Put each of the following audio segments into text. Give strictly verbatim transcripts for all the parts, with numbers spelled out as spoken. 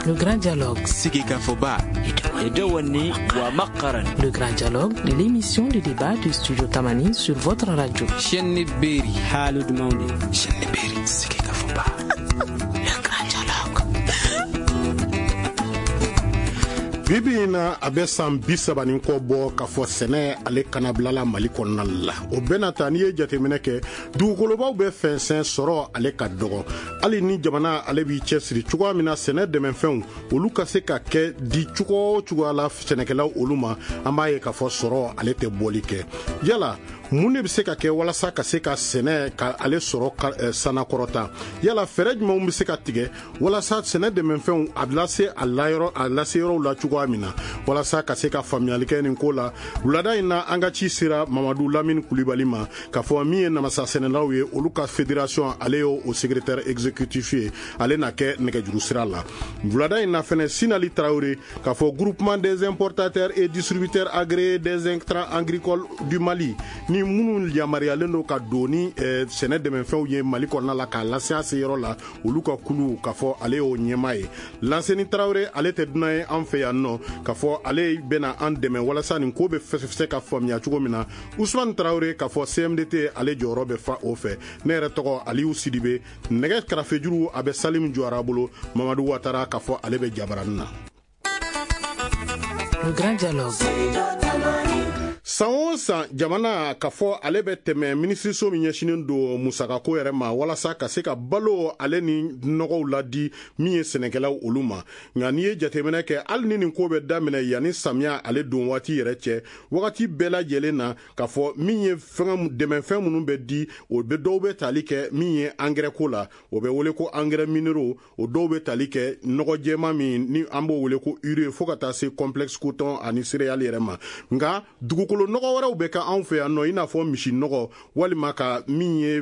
Le Grand Dialogue. Sigikafɔba. Le Grand Dialogue, l'émission de débat du Studio Tamani sur votre radio. Chaîne Berry. Haalude mawde. Chaîne Berry. Sigikafɔba. Le Grand Dialogue. Bibi in na, a bɛ san bi saba ni kɔ bɔ k'a fɔ sɛnɛ ale kanabilala Mali kɔnɔna la. O bɛna ta, n'i ye jateminɛ kɛ, dugukolobaw bɛ fɛnsɛn, sɔrɔ ale ka dɔgɔ. Hali ni jamana ale b'i cɛsiri cogoya min na sɛnɛ dɛmɛfɛnw olu ka se ka kɛ di cogo o cogoya la sɛnɛkɛlaw olu ma, an b'a ye k'a fɔ sɔrɔ ale tɛ bɔli kɛ. Yala mun de bɛ se ka kɛ walasa ka se ka sɛnɛ ka ale sɔrɔ sanakɔrɔta? Yala fɛɛrɛ jumɛnw bɛ se ka tigɛ walasa sɛnɛ dɛmɛfɛnw a bɛ lase a layɔrɔ a lase yɔrɔw la cogoya min na? Walasa ka se ka faamuyali kɛ nin ko la, wulada in na, an ka ci sera Mamadu Lamini Kulibali ma, k'a fɔ min ye namasa sɛnɛlaw ye olu ka fédération, ale y'o o secrétaire exécutif ye, ale na kɛ nɛgɛjuru sira la. Wulada in na fɛnɛ, Sinali Tarawele, k'a fɔ Groupement des importateurs et distributeurs agréés des intrants agricoles du Mali, ni minnu yamaruyalen don ka don ni sɛnɛ dɛmɛfɛnw ye Mali kɔnɔna la k'a lase a se yɔrɔ la, olu ka kulu, k'a fɔ ale y'o ɲɛmaa ye. Lanseni Tarawele, ale tɛ dunan ye an fɛ yan nɔ, k'a fɔ ale bɛna an dɛmɛ walasa nin ko bɛ se ka faamuya cogo min na. Usman Tarawele, k'a fɔ C M D T ale jɔyɔrɔ bɛ fa o fɛ. Ne yɛrɛ tɔgɔ Aliyu Sidibe. Nɛgɛ karafejuru a bɛ Salim Jɔra bolo. Mamadu Watara, k'a fɔ ale bɛ jabaranin na. Le Grand Dialogue. San o san, jamana ka fɔ ale bɛ tɛmɛ minisiriso min ɲɛsinen don musakako yɛrɛ ma walasa ka se ka balo ale ni nɔgɔw ladi min ye sɛnɛkɛlaw olu ma. Nka n'i ye jateminɛ kɛ, hali ni nin ko bɛ daminɛ yanni samiya ale don waati yɛrɛ cɛ, wagati bɛɛ lajɛlen na, k'a fɔ min ye fɛn dɛmɛfɛn minnu bɛ di, o bɛ dɔw bɛ tali kɛ min ye angɛrɛ ko la, o bɛ wele ko engrais minéraux, o dɔw bɛ tali kɛ nɔgɔ jɛman min ni an b'o wele ko urée, fo ka taa se complexe coton ani céréales yɛrɛ ma. Nka dugukolo nɔgɔ wɛrɛw bɛ kɛ anw fɛ yan nɔ, i n'a fɔ misi nɔgɔ, walima ka min ye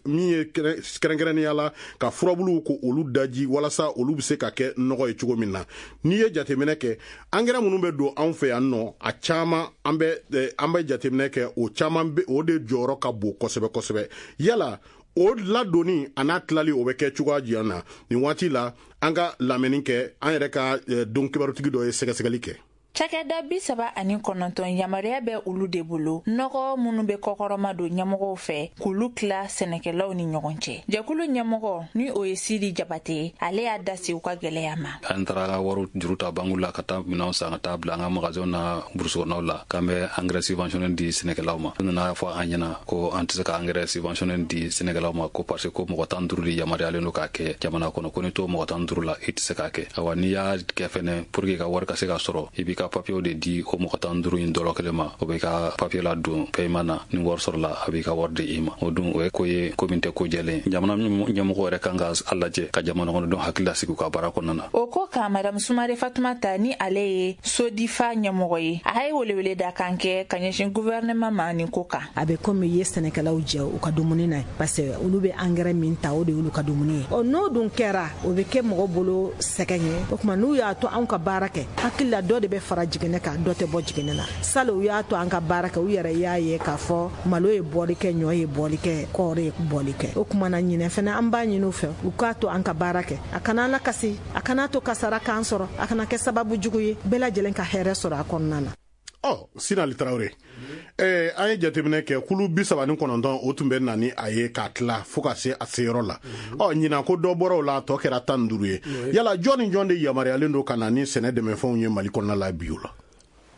min ye kɛrɛnkɛrɛnnenya la ka furabuluw ko olu daji walasa olu bɛ se ka kɛ nɔgɔ ye cogo min na. N'i ye jateminɛ kɛ, angɛrɛ minnu bɛ don anw fɛ yan nɔ, a caman an bɛ an bɛ jateminɛ kɛ, o caman bɛ o de jɔyɔrɔ ka bon kosɛbɛ kosɛbɛ. Yala o ladonni a n'a tilali, o bɛ kɛ cogoya jumɛn na nin waati la? An ka lamɛnni kɛ, an yɛrɛ ka don kibarutigi dɔ ye sɛgɛsɛgɛli kɛ. Cakɛda bi saba ani kɔnɔntɔn yamaruya bɛ olu de bolo nɔgɔ minnu bɛ kɔkɔrɔma don ɲɛmɔgɔw fɛ k'olu tila sɛnɛkɛlaw ni ɲɔgɔn cɛ. Jɛkulu ɲɛmɔgɔ, ni o ye Sidi Jabate, ale y'a da se u ka gwɛlɛya ma. An taara wari juru ta bangu la ka taa minɛnw san ka taa bila an ka magasinw na brousse kɔnɔnaw la k'an bɛ engrais subventionné di sɛnɛkɛlaw ma. U nana fɔ an ɲɛna ko an tɛ se ka engrais subventionné di sɛnɛkɛlaw ma, ko parce que ko mɔgɔ tan duuru de yamaruyalen don k'a kɛ jamana kɔnɔ, ko ni t'o mɔgɔ tan duuru la, i tɛ se k'a kɛ. Awa, n'i y'a kɛ fɛnɛ, pour que ka wari ka se ka sɔrɔ, i b'i ka papiyew de di o mɔgɔ tan duuru in dɔrɔ kelen ma, o b'i ka papiye la don paiement na, ni wari sɔrɔla, a b'i ka wari di i ma. O dun, o ye ko ye ko min tɛ ko jɛlen. Jamana ɲɛmɔgɔ yɛrɛ kan ka a lajɛ ka jamana kɔnɔdenw hakili lasigi u ka baara kɔnɔna na. O ko kan, Madamu Sumare Fatumata, ni ale ye Sodifa ɲɛmɔgɔ ye, a ye welewele da kan kɛ ka ɲɛsin gouvernement ma nin ko kan. A bɛ komi i ye sɛnɛkɛlaw jɛ u ka dumuni na, parce que olu bɛ angɛrɛ min ta, o de y'olu ka dumuni ye. Ɔ, n'o dun kɛra, o bɛ kɛ mɔgɔ bolo sɛgɛn ye. O tuma, n'u y'a to anw ka baara kɛ, hakili la dɔ de bɛ fara jiginɛ kan, dɔ tɛ bɔ jiginɛ na. Sali u y'a to an ka baara kɛ, u yɛrɛ y'a ye k'a fɔ malo ye bɔli kɛ, ɲɔ ye bɔli kɛ, kɔɔri ye bɔli kɛ. O tuma na, ɲinɛ fɛnɛ, an b'a ɲini u fɛ u k'a to an ka baara kɛ, a kana an lakasi, a kana to kasara k'an sɔrɔ, a kana kɛ sababu jugu ye, bɛɛ lajɛlen ka hɛrɛ sɔrɔ a kɔnɔna na. Ɔ, Sinali Tarawele, ɛɛ an ye jateminɛ kɛ, kulu bi saba ni kɔnɔntɔn, o tun bɛ na ni a ye k'a tila fo ka se a seyɔrɔ la. Ɔ, ɲinan ko dɔ bɔra o la, a tɔ kɛra tan ni duuru ye. Yala jɔn ni jɔn de yamaruyalen don ka na ni sɛnɛ dɛmɛfɛnw ye Mali kɔnɔna la bi o la?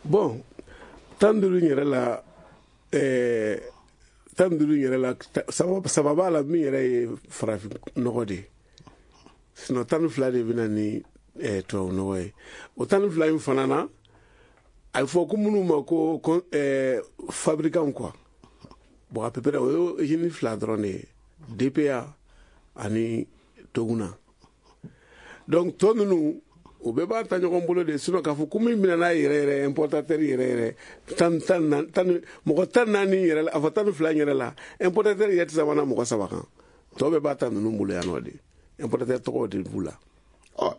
Bon, tan duuru in yɛrɛ la, ɛɛ tan duuru in yɛrɛ la, saba b'a la min yɛrɛ ye farafin nɔgɔ de ye, sinon tan ni fila de bɛ na ni ɛɛ tubabu nɔgɔ ye. O tan ni fila in fana na, a bɛ fɔ ko minnu ma ko ɛɛ fabricant quoi. Bon, à peu près o ye usine fila dɔrɔn de ye, D P A ani Toguna. Donc tɔ ninnu, o bɛɛ b'a ta ɲɔgɔn bolo de. Sinon k'a fɔ ko min bɛna n'a yɛrɛ yɛrɛ, importateur yɛrɛ yɛrɛ, tan tan tan mɔgɔ tan naani yɛrɛ la, a fɔ tan ni fila yɛrɛ la, importateur yɛrɛ tɛ sabanan mɔgɔ saba kan. Tɔ bɛɛ b'a ta ninnu bolo yan nɔ de, importateur tɔgɔw de b'u la. Ɔ,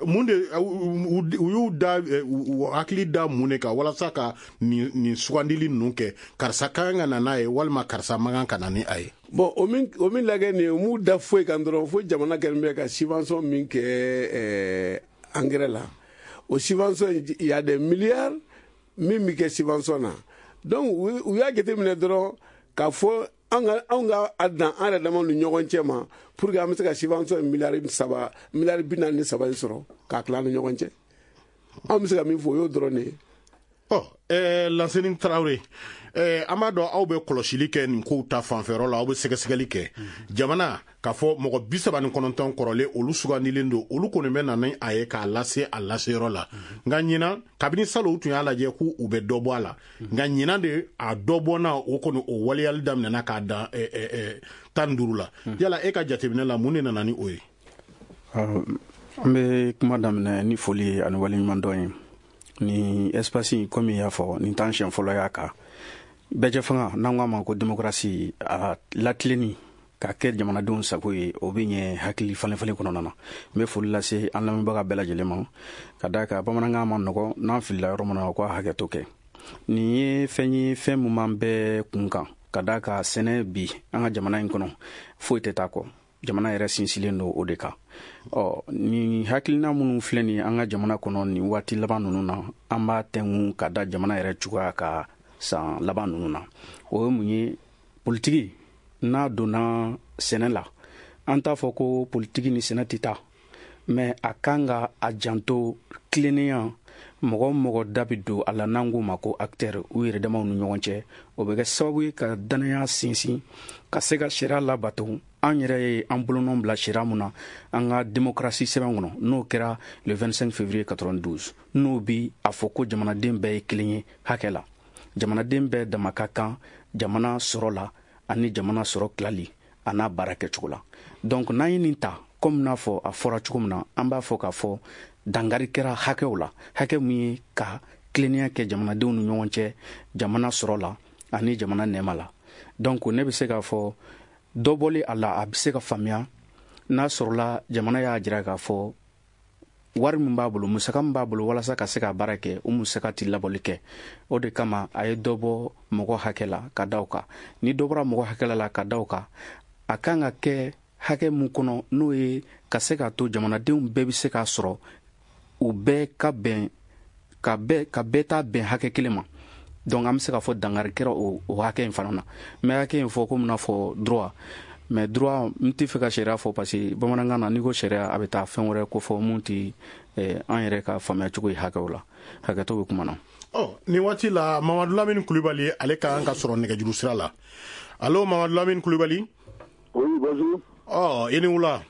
mun de u y'u da u hakili da mun de kan walasa ka nin nin sugandili ninnu kɛ, karisa ka kan ka na n'a ye walima karisa man kan ka na ni a ye? Bon, o min o min lajɛ nin ye, u m'u da foyi kan dɔrɔn fo jamana kɛlen bɛ ka subvention min kɛ ɛɛ engrais la. O subvention, il y a des milliards min bɛ kɛ subvention na. Donc u y'a jateminɛ dɔrɔn k'a fɔ an ka anw ka a dan an yɛrɛ damaw ni ɲɔgɔn cɛ ma pour que an bɛ se ka subvention miliyari saba miliyari bi naani ni saba in sɔrɔ k'a tila an ni ɲɔgɔn cɛ. Anw bɛ se ka min fɔ o y'o dɔrɔn de ye. Ɔ ɛɛ Lanseni Tarawele, ɛɛ an b'a dɔn aw bɛ kɔlɔsili kɛ nin kow ta fanfɛyɔrɔ la, aw bɛ sɛgɛsɛgɛli kɛ. Jamana k'a fɔ mɔgɔ bi saba ni kɔnɔntɔn kɔrɔlen olu sugandilen don, olu kɔni bɛ na ni a ye k'a lase a laseyɔrɔ la. Nka ɲinan kabini salon u tun y'a lajɛ k'u u bɛ dɔ bɔ a la, nka ɲinan de a dɔ bɔnna o kɔni o waleyali daminɛna k'a dan ɛɛ ɛɛ tan ni duuru la. Yala e ka jateminɛ la mun de nana ni o ye? An bɛ kuma daminɛ ni foli ye ani waleɲumandɔn ye. Ni espace in komi i y'a fɔ nin t'an siɲɛ fɔlɔ y'a kan. Bɛɛjɛ fanga n'an ko a ma ko démocratie, a latilenni k'a kɛ jamanadenw sago ye, o bɛ ɲɛ hakili falen-falen kɔnɔna na. N bɛ foli lase an lamɛnbaga bɛɛ lajɛlen ma ka d'a kan bamanankan ma nɔgɔ, n'an filila yɔrɔ min na o k'a hakɛto kɛ. Nin ye fɛn ye fɛn mun b'an bɛɛ kun kan ka d'a kan sɛnɛ bi an ka jamana in kɔnɔ foyi tɛ taa kɔ. Jamana yɛrɛ sinsinlen don o de kan. Ɔ nin hakilina minnu filɛ nin ye an ka jamana kɔnɔ nin waati laban ninnu na, an b'a tɛnku ka da jamana yɛrɛ cogoya ka san laban ninnu na. O ye mun ye? Politiki n'a donna sɛnɛ la, an t'a fɔ ko politiki ni sɛnɛ tɛ taa, mais a kan ka a janto tilennenya, mɔgɔ mɔgɔ da bɛ don a la n'an k'o ma ko acteur, u yɛrɛ damaw ni ɲɔgɔn cɛ, o bɛ kɛ sababu ye ka danaya sinsin, ka se ka sariya labato. An yɛrɛ ye an bolonɔ bila sariya mun na an ka démocratie sɛbɛn kɔnɔ, n'o kɛra le vingt-cinq février quatre-vingt-douze, n'o bi a fɔ ko jamanaden bɛɛ ye kelen ye hakɛ la, jamanaden bɛɛ dama ka kan jamana sɔrɔ la ani jamana sɔrɔ tilali a n'a baara kɛcogo la. Donc n'an ye nin ta komi n'a fɔ a fɔra cogo min na, an b'a fɔ k'a fɔ dangari kɛra hakɛw la, hakɛ min ye ka tilennenya kɛ jamanadenw ni ɲɔgɔn cɛ jamana sɔrɔ la ani jamana nɛɛma la. Donc ne bɛ se k'a fɔ dɔ bɔli a la, a bɛ se ka faamuya n'a sɔrɔla jamana y'a jira k'a fɔ wari min b'a bolo, musaka min b'a bolo walasa ka se ka baara kɛ, o musaka tɛ labɔli kɛ. O de kama a ye dɔ bɔ mɔgɔ hakɛ la ka da o kan. Ni dɔ bɔra mɔgɔ hakɛ la ka da o kan, a kan ka kɛ hakɛ mun kɔnɔ, n'o ye ka se k'a to jamanadenw bɛɛ bɛ se k'a sɔrɔ, u bɛɛ ka bɛn ka bɛɛ ka bɛɛ ta bɛn hakɛ kelen ma. Donc an bɛ se k'a fɔ dangari kɛra o o hakɛ in fana na. N bɛ hakɛ in fɔ komi n'a fɔ droit, mais droit n tɛ fɛ ka sariya fɔ parce que bamanankan na n'i ko sariya a bɛ taa fɛn wɛrɛ ko fɔ mun tɛ an yɛrɛ ka faamuya cogo ye hakɛw la. Hakɛto bɛ kuma na. Ɔ nin waati la Mamadu Lamini Kulibali ale ka kan ka sɔrɔ nɛgɛjuru sira la. Allo Mamadu Lamini Kulibali. Oui, bonjour. Ɔ i ni wula.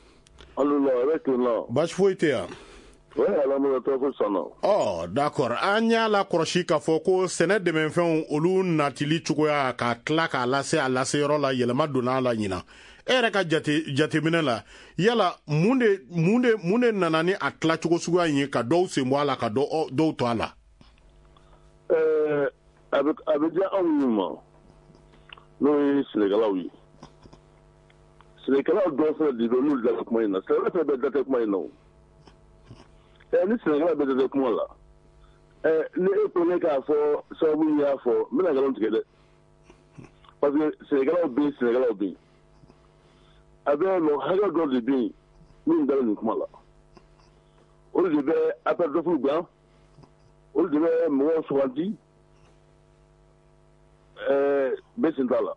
Allo la, la. Baasi foyi tɛ yan. Ɔ d'accord, an y'a la kɔlɔsi k'a fɔ ko sɛnɛ dɛmɛfɛnw olu natili cogoya ka tila k'a lase a laseyɔrɔ la, yɛlɛma donna a la ɲinan. E yɛrɛ ka jate jateminɛ la, yala mun de mun de mun de nana ni a tilacogo suguya in ye ka dɔw sen bɔ a la ka dɔw dɔw to a la? Ɛɛ a bɛ a bɛ diya anw ma, n'o ye sɛnɛkɛlaw ye. Sɛnɛkɛlaw dɔw fana de bɛ n'olu da kuma in na, sɛnɛkɛla fɛn bɛɛ da tɛ kuma in na o. Ɛ ni sɛnɛkɛla bɛɛ da tɛ kuma la, ɛ ni e ko ne k'a fɔ sababu min y'a fɔ, n bɛna nkalon tigɛ dɛ, parce que sɛnɛkɛlaw bɛ yen, sɛnɛkɛlaw bɛ yen, a bɛ mɔgɔ hakɛ dɔ de bɛ yen min dalen nin kuma la, olu de bɛ appel d'offre gan, olu de bɛ mɔgɔw sugandi, ɛɛ bɛɛ sen t'a la.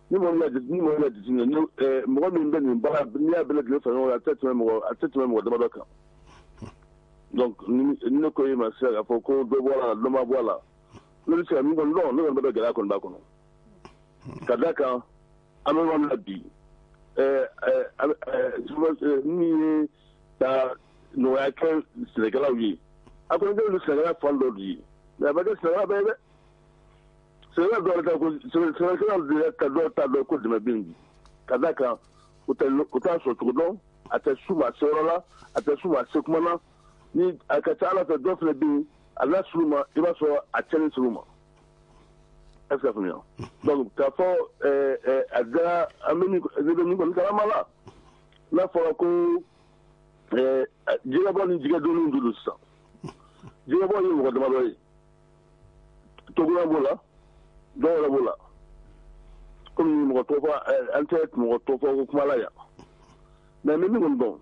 Ni mɔgɔ min y'a ni mɔgɔ min y'a jateminɛ, ni ɛɛ mɔgɔ min bɛ nin baara, n'i y'a bɛɛ lajɛlen fara ɲɔgɔn kan, a tɛ tɛmɛ mɔgɔ a tɛ tɛmɛ mɔgɔ damadɔ kan. Donc ni ne ko e ma sisan k'a fɔ ko dɔ bɔ a la dɔ ma bɔ a la, ne bɛ se ka min kɔni dɔn, ne kɔni bɛ gɛlɛya kɔni b'a kɔnɔ. Ka d'a kan an bɛ yɔrɔ min na bi, ɛɛ ɛɛ min ye ka nɔgɔya kɛ sɛnɛkɛlaw ye, a kɔni kɛlen don sɛnɛkɛla fan dɔ de ye, mais a ma kɛ sɛnɛkɛla bɛɛ ye dɛ. Sɛnɛkɛla dɔw yɛrɛ ta ko sɛnɛkɛla yɛrɛ ta dɔw t'a dɔn ko dɛmɛ bɛ yen bi, ka d'a kan u tɛ u t'a sɔrɔ cogo dɔn, a tɛ s'u ma a seyɔrɔ la, a tɛ s'u ma a se kuma na. Ni a ka ca ala fɛ dɔw fana bɛ yen, a n'a s'u ma, i b'a sɔrɔ a cɛnni s'u ma. Est ce que a faamuya? Donc k'a fɔ ɛɛ ɛɛ a dara an bɛ min ne bɛ min kɔni kalama la, n'a fɔra ko ɛɛ jɛgɛbɔ ni jɛgɛdonniw de don sisan. Jɛgɛbɔ ye mɔgɔ damadɔ ye, Togola b'o la, dɔw yɛrɛ b'o la. Komi mɔgɔ tɔgɔ fɔ, an tɛ mɔgɔ tɔgɔ fɔ ko kuma la yan. Mais n bɛ min kɔni dɔn,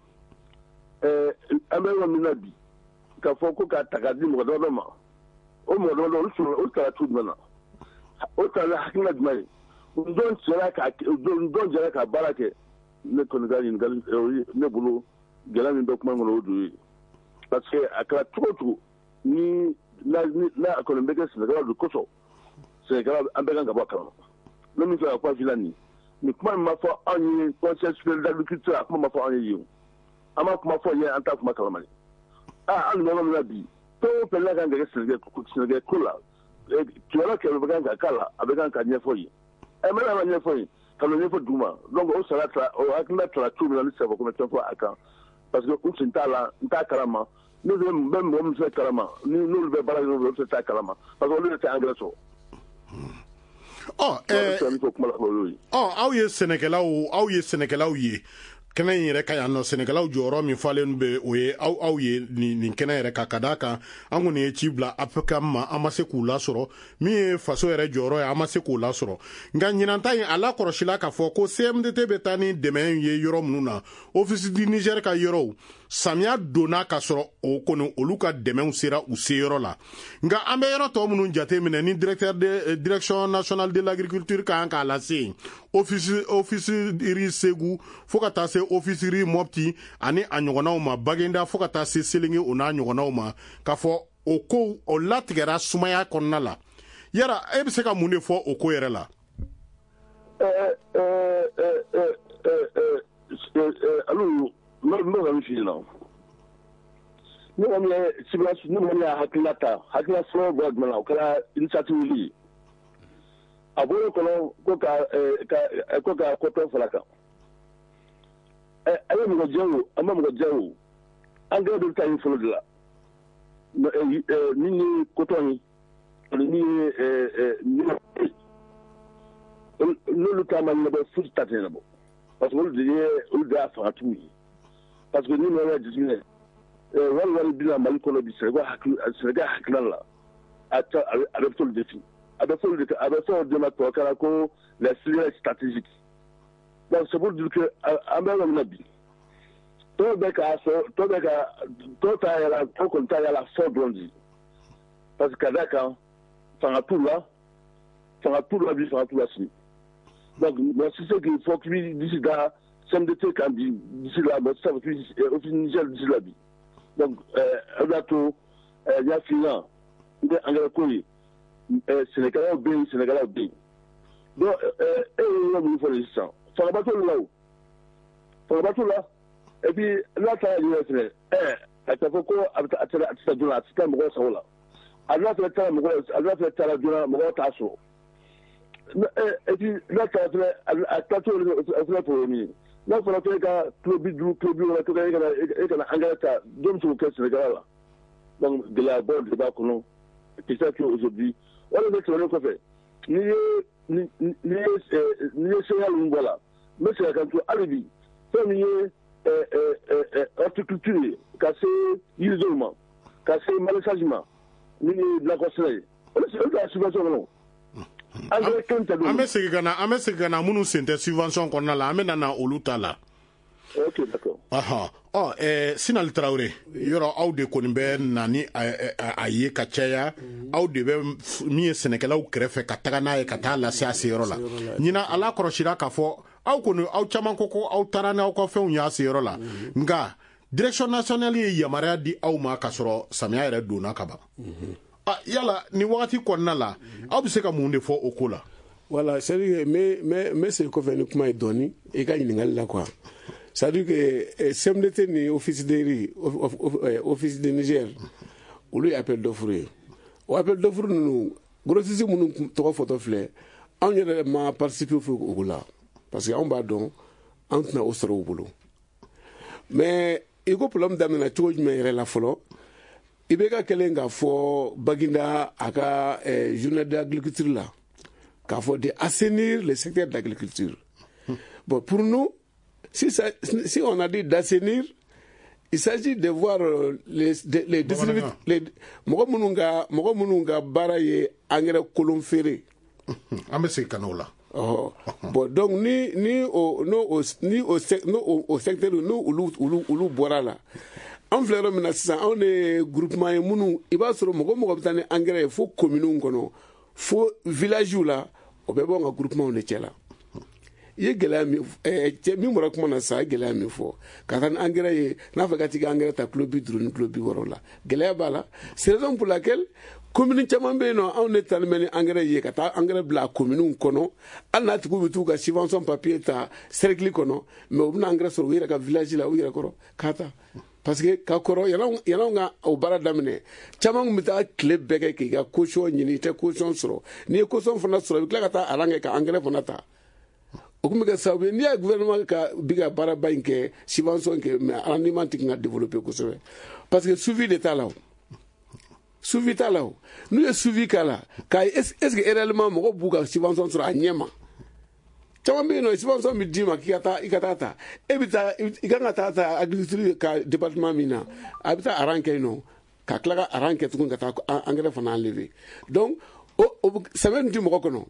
Ɛɛ an bɛ yɔrɔ min na bi, k'a fɔ ko k'a ta k'a di mɔgɔ damadɔ ma, o mɔgɔ damadɔ olu sɔrɔ olu taara cogo jumɛn na, o taara ni hakilina jumɛn ye, dɔn jɛra ka dɔn jɛra ka baara kɛ. Ne kɔni ka ɲininkali, ne bolo gɛlɛya min bɛ kuma in kɔnɔ, o de ye, parce que a kɛra cogo o cogo, ni n'a n'a kɔni bɛ kɛ sɛnɛkɛlaw de kosɔn, sɛnɛkɛlaw an bɛɛ kan ka bɔ a kalama. Ne min fɛ ka kuma f'i la nin nin kuma in ma fɔ anw ye Conseil supérieur d'agriculture, a kuma ma fɔ anw ye yen, an ma kuma fɔ yen, an t'a kuma kalama de. Aa, an bɛ yɔrɔ min na bi, fɛn o fɛn n'a kan ka kɛ sɛnɛkɛ ko la, kibaruya kɛmɛ bɛ kan ka k'a la, a bɛ kan ka ɲɛfɔ yen. Ɛ mɛ n'a ma ɲɛfɔ yen, ka n'o ɲɛfɔ dugu ma, donc o sara ta, o hakilina tara cogo min na, ne tɛ se k'a fɔ ko n bɛ fɛn fɔ a kan, parce que n sen t'a la, n t'a kalama. Ne bɛ mɔgɔ min fɛ kalama, ni n'olu bɛ baara kɛ ɲɔgɔn fɛ, olu tɛ t'a kalama, parce que olu de tɛ engrais sɔrɔ. Ɔ ɛɛ ɔ aw ye sɛnɛkɛlaw aw ye sɛnɛkɛlaw ye kɛnɛ in yɛrɛ ka yan nɔ, sɛnɛkɛlaw jɔyɔrɔ min falen bɛ, o ye aw aw ye nin nin kɛnɛ yɛrɛ kan, ka d'a kan an kɔni ye ci bila A P C A M ma, an ma se k'u lasɔrɔ. Min ye faso yɛrɛ jɔyɔrɔ ye, an ma se k'o lasɔrɔ. Nka ɲinan ta in, a lakɔlɔsila k'a fɔ ko C M D T bɛ taa ni dɛmɛ ye yɔrɔ minnu na, Office du Niger ka yɔrɔw, samiya donna ka sɔrɔ o kɔni olu ka dɛmɛw sera u seyɔrɔ la. Nka an bɛ yɔrɔ tɔ minnu jate minɛ ni directeur de Direction nationale de l'agriculture ka kan k'a lase yen, office office riz Segu fo ka taa se office riz Mopti ani a ɲɔgɔnnaw ma, Bagenda fo ka taa se Selenge, o n'a ɲɔgɔnnaw ma, k'a fɔ o kow o latigɛra sumaya kɔnɔna la. Yala e bɛ se ka mun de fɔ o ko yɛrɛ la? Ɛɛ ɛɛ ɛɛ ɛɛ alu, n bɛ ka min f'i ɲɛna, ne kɔni ye ciblage, ne kɔni y'a hakilina ta, hakilina fɔlɔ bɔra jumɛn na, o kɛra initiative ye. A bɔr'o kɔnɔ ko ka ka ko ka coton fara kan. Ɛ a ye mɔgɔ jɛ o, an ma mɔgɔ jɛ o, engrais bɛ taa yen fɔlɔ de la, min ye coton ye ani min ye ɲɔ ye, n'olu ta ma ɲɛnabɔ, fosi ta tɛ ɲɛnabɔ, parce que olu de ye olu de y'a fangatigiw ye. Parce que ni mɔgɔ y'a jateminɛ, wari wari bɛ na Mali kɔnɔ bi, Sɛnɛgal hakili Sɛnɛgal hakilina la, a ta a bɛ fɔli de fi a bɛ fɔli de a bɛ fɔ o de ma tubabukan na ko les filières stratégiques. Donc c'est pour dire que an bɛ yɔrɔ min na bi, tɔw bɛ k'a sɔrɔ, tɔw bɛ ka tɔw ta yala, tɔw kɔni ta yala fɔ dɔrɔn de, parce que ka d'a kan fanga t'u la, fanga t'u la bi, fanga t'u la sini. Donc mɔgɔ si se k'i fɔ k'i bɛ disi da C M D T kan bi, disi la mɔgɔ tɛ se k'a fɔ k'i bɛ Office Niger disi la bi. Donc o de y'a to n y'a f'i ɲɛna, n bɛ engrais ko ye, sɛnɛkɛlaw bɛ yen, sɛnɛkɛlaw bɛ yen. Donc e ye yɔrɔ minnu fɔ nin sisan, fangaba t'olu la o, fangaba t'u la. Et puis n'a taara yen fɛnɛ, ɛ a tɛ fɔ ko a bɛ taa, a tɛ a tɛ taa joona, a tɛ taa mɔgɔw sago la. A n'a fɛnɛ taara mɔgɔw, a n'a fɛnɛ taara joona, mɔgɔw t'a sɔrɔ. Et puis n'a taara fɛnɛ, a taacogo o fɛnɛ problème ye. N'a fɔra ko e ka kilo bi duuru, kilo bi wɔɔrɔ, ko e kana e kana engrais ta, jɔn bɛ se k'o kɛ sɛnɛkɛla la? Donc gɛlɛyabaw de b'a kɔnɔ. C'est ça que aujourd'hui, o de bɛ tɛmɛnen kɔfɛ, n'i ye ni ni ye n'i ye céréales ninnu bɔ a la, n bɛ segin a kan tuguni hali bi, fɛn min ye horticulture ye, ka se yiridenw ma, ka se maraîchage ma, min ye nakɔ sɛnɛ ye, olu olu t'a subvention kɔnɔ. An bɛ segin ka na an bɛ segin ka na minnu sen tɛ subvention kɔnɔna la, an bɛ na na olu ta la. Ok, d'accord. Ɔhɔn, ɔ ɛɛ Sinali Tarawele, yɔrɔ aw de kɔni bɛ na ni a ye ka caya, aw de bɛ min ye sɛnɛkɛlaw kɛrɛfɛ ka taga n'a ye ka taa lase a seyɔrɔ la. Ɲinan ala kɔlɔsira k'a fɔ aw kɔni, aw caman ko ko aw taara n'aw ka fɛnw y'a seyɔrɔ la, nka Direction nationale ye yamaruya di aw ma k'a sɔrɔ samiya yɛrɛ donna ka ban. Yala nin wagati kɔnɔna la, aw bɛ se ka mun de fɔ o ko la? Voilà, c'est à dire que n bɛ n bɛ segin kɔfɛ ni kuma ye dɔɔni i ka ɲininkali la quoi. C'est à dire que C M D T ni Office de riz, Office de Niger, olu ye appel d'offre ye. O appel d'offre ninnu, grossiste minnu tɔgɔ fɔtɔ filɛ, anw yɛrɛ ma participer foyi o la, parce que anw b'a dɔn an tɛna o sɔrɔ u bolo. Mais i ko problème daminɛna cogo jumɛn yɛrɛ la fɔlɔ? I bɛ ka kɛlen k'a fɔ Baginda a ka journée d'agriculture la, k'a fɔ de assainir le secteur d'agriculture. Bon, pour nous, si, ça, si on a dit d'assainir, il s'agit de voir les les distributeurs, les mɔgɔ minnu ka mɔgɔ minnu ka baara ye engrais kolon feere. An bɛ segin ka n'o la. Ɔhɔ, bon, donc ni ni o n'o o ni o n'o o secteur n'o olu olu olu bɔra la, an filɛ yɔrɔ min na sisan, anw de ye groupement ye minnu i b'a sɔrɔ mɔgɔ mɔgɔ bɛ taa ni engrais ye fo communes kɔnɔ, fo villages la, o bɛɛ b'anw ka groupement de cɛ la. I ye gɛlɛya min, cɛ min bɔra kuma na sisan, a ye gɛlɛya min fɔ ka taa ni engrais ye, n'a fɔra ka t'i ka engrais ta kilo bi duuru ni kilo bi wɔɔrɔ la, gɛlɛya b'a la. C'est raison pour laquelle commune caman bɛ yen nɔ, anw de taalen bɛ ni engrais ye ka taa engrais bila commune kɔnɔ, hali n'a tigiw bɛ t'u ka subvention papier ta cercle kɔnɔ, mais u bɛna engrais sɔrɔ u yɛrɛ ka village la, u yɛrɛ kɔrɔ k'a ta, parce que ka kɔrɔ yan'anw ka o baara daminɛ, caman kun bɛ taa tile bɛɛ kɛ k'i ka caution ɲini, i tɛ caution sɔrɔ. N'i ye caution fana sɔrɔ, i bɛ tila ka taa rang kɛ ka engrais fana ta. O kun bɛ kɛ sababu ye, n'i y'a ye gouvernement ka bi ka baaraba in kɛ, subvention kɛ, mais rendement tɛ ka développer kosɛbɛ, parce que suivi de t'a la. O suivi t'a la. O n'u ye suivi k'a la, k'a ye est ce que réellement mɔgɔw b'u ka subvention sɔrɔ a ɲɛ ma. Caman bɛ yen nɔ, subvention bɛ d'i ma k'i ka taa i ka taa ta, e bɛ taa, i kan ka taa ta agriculture ka département min na, a bɛ taa rang kɛ yen nɔ, ka tila ka rang kɛ tuguni ka taa engrais fana enlever. Donc o o sɛbɛn tɛ mɔgɔ kɔnɔ.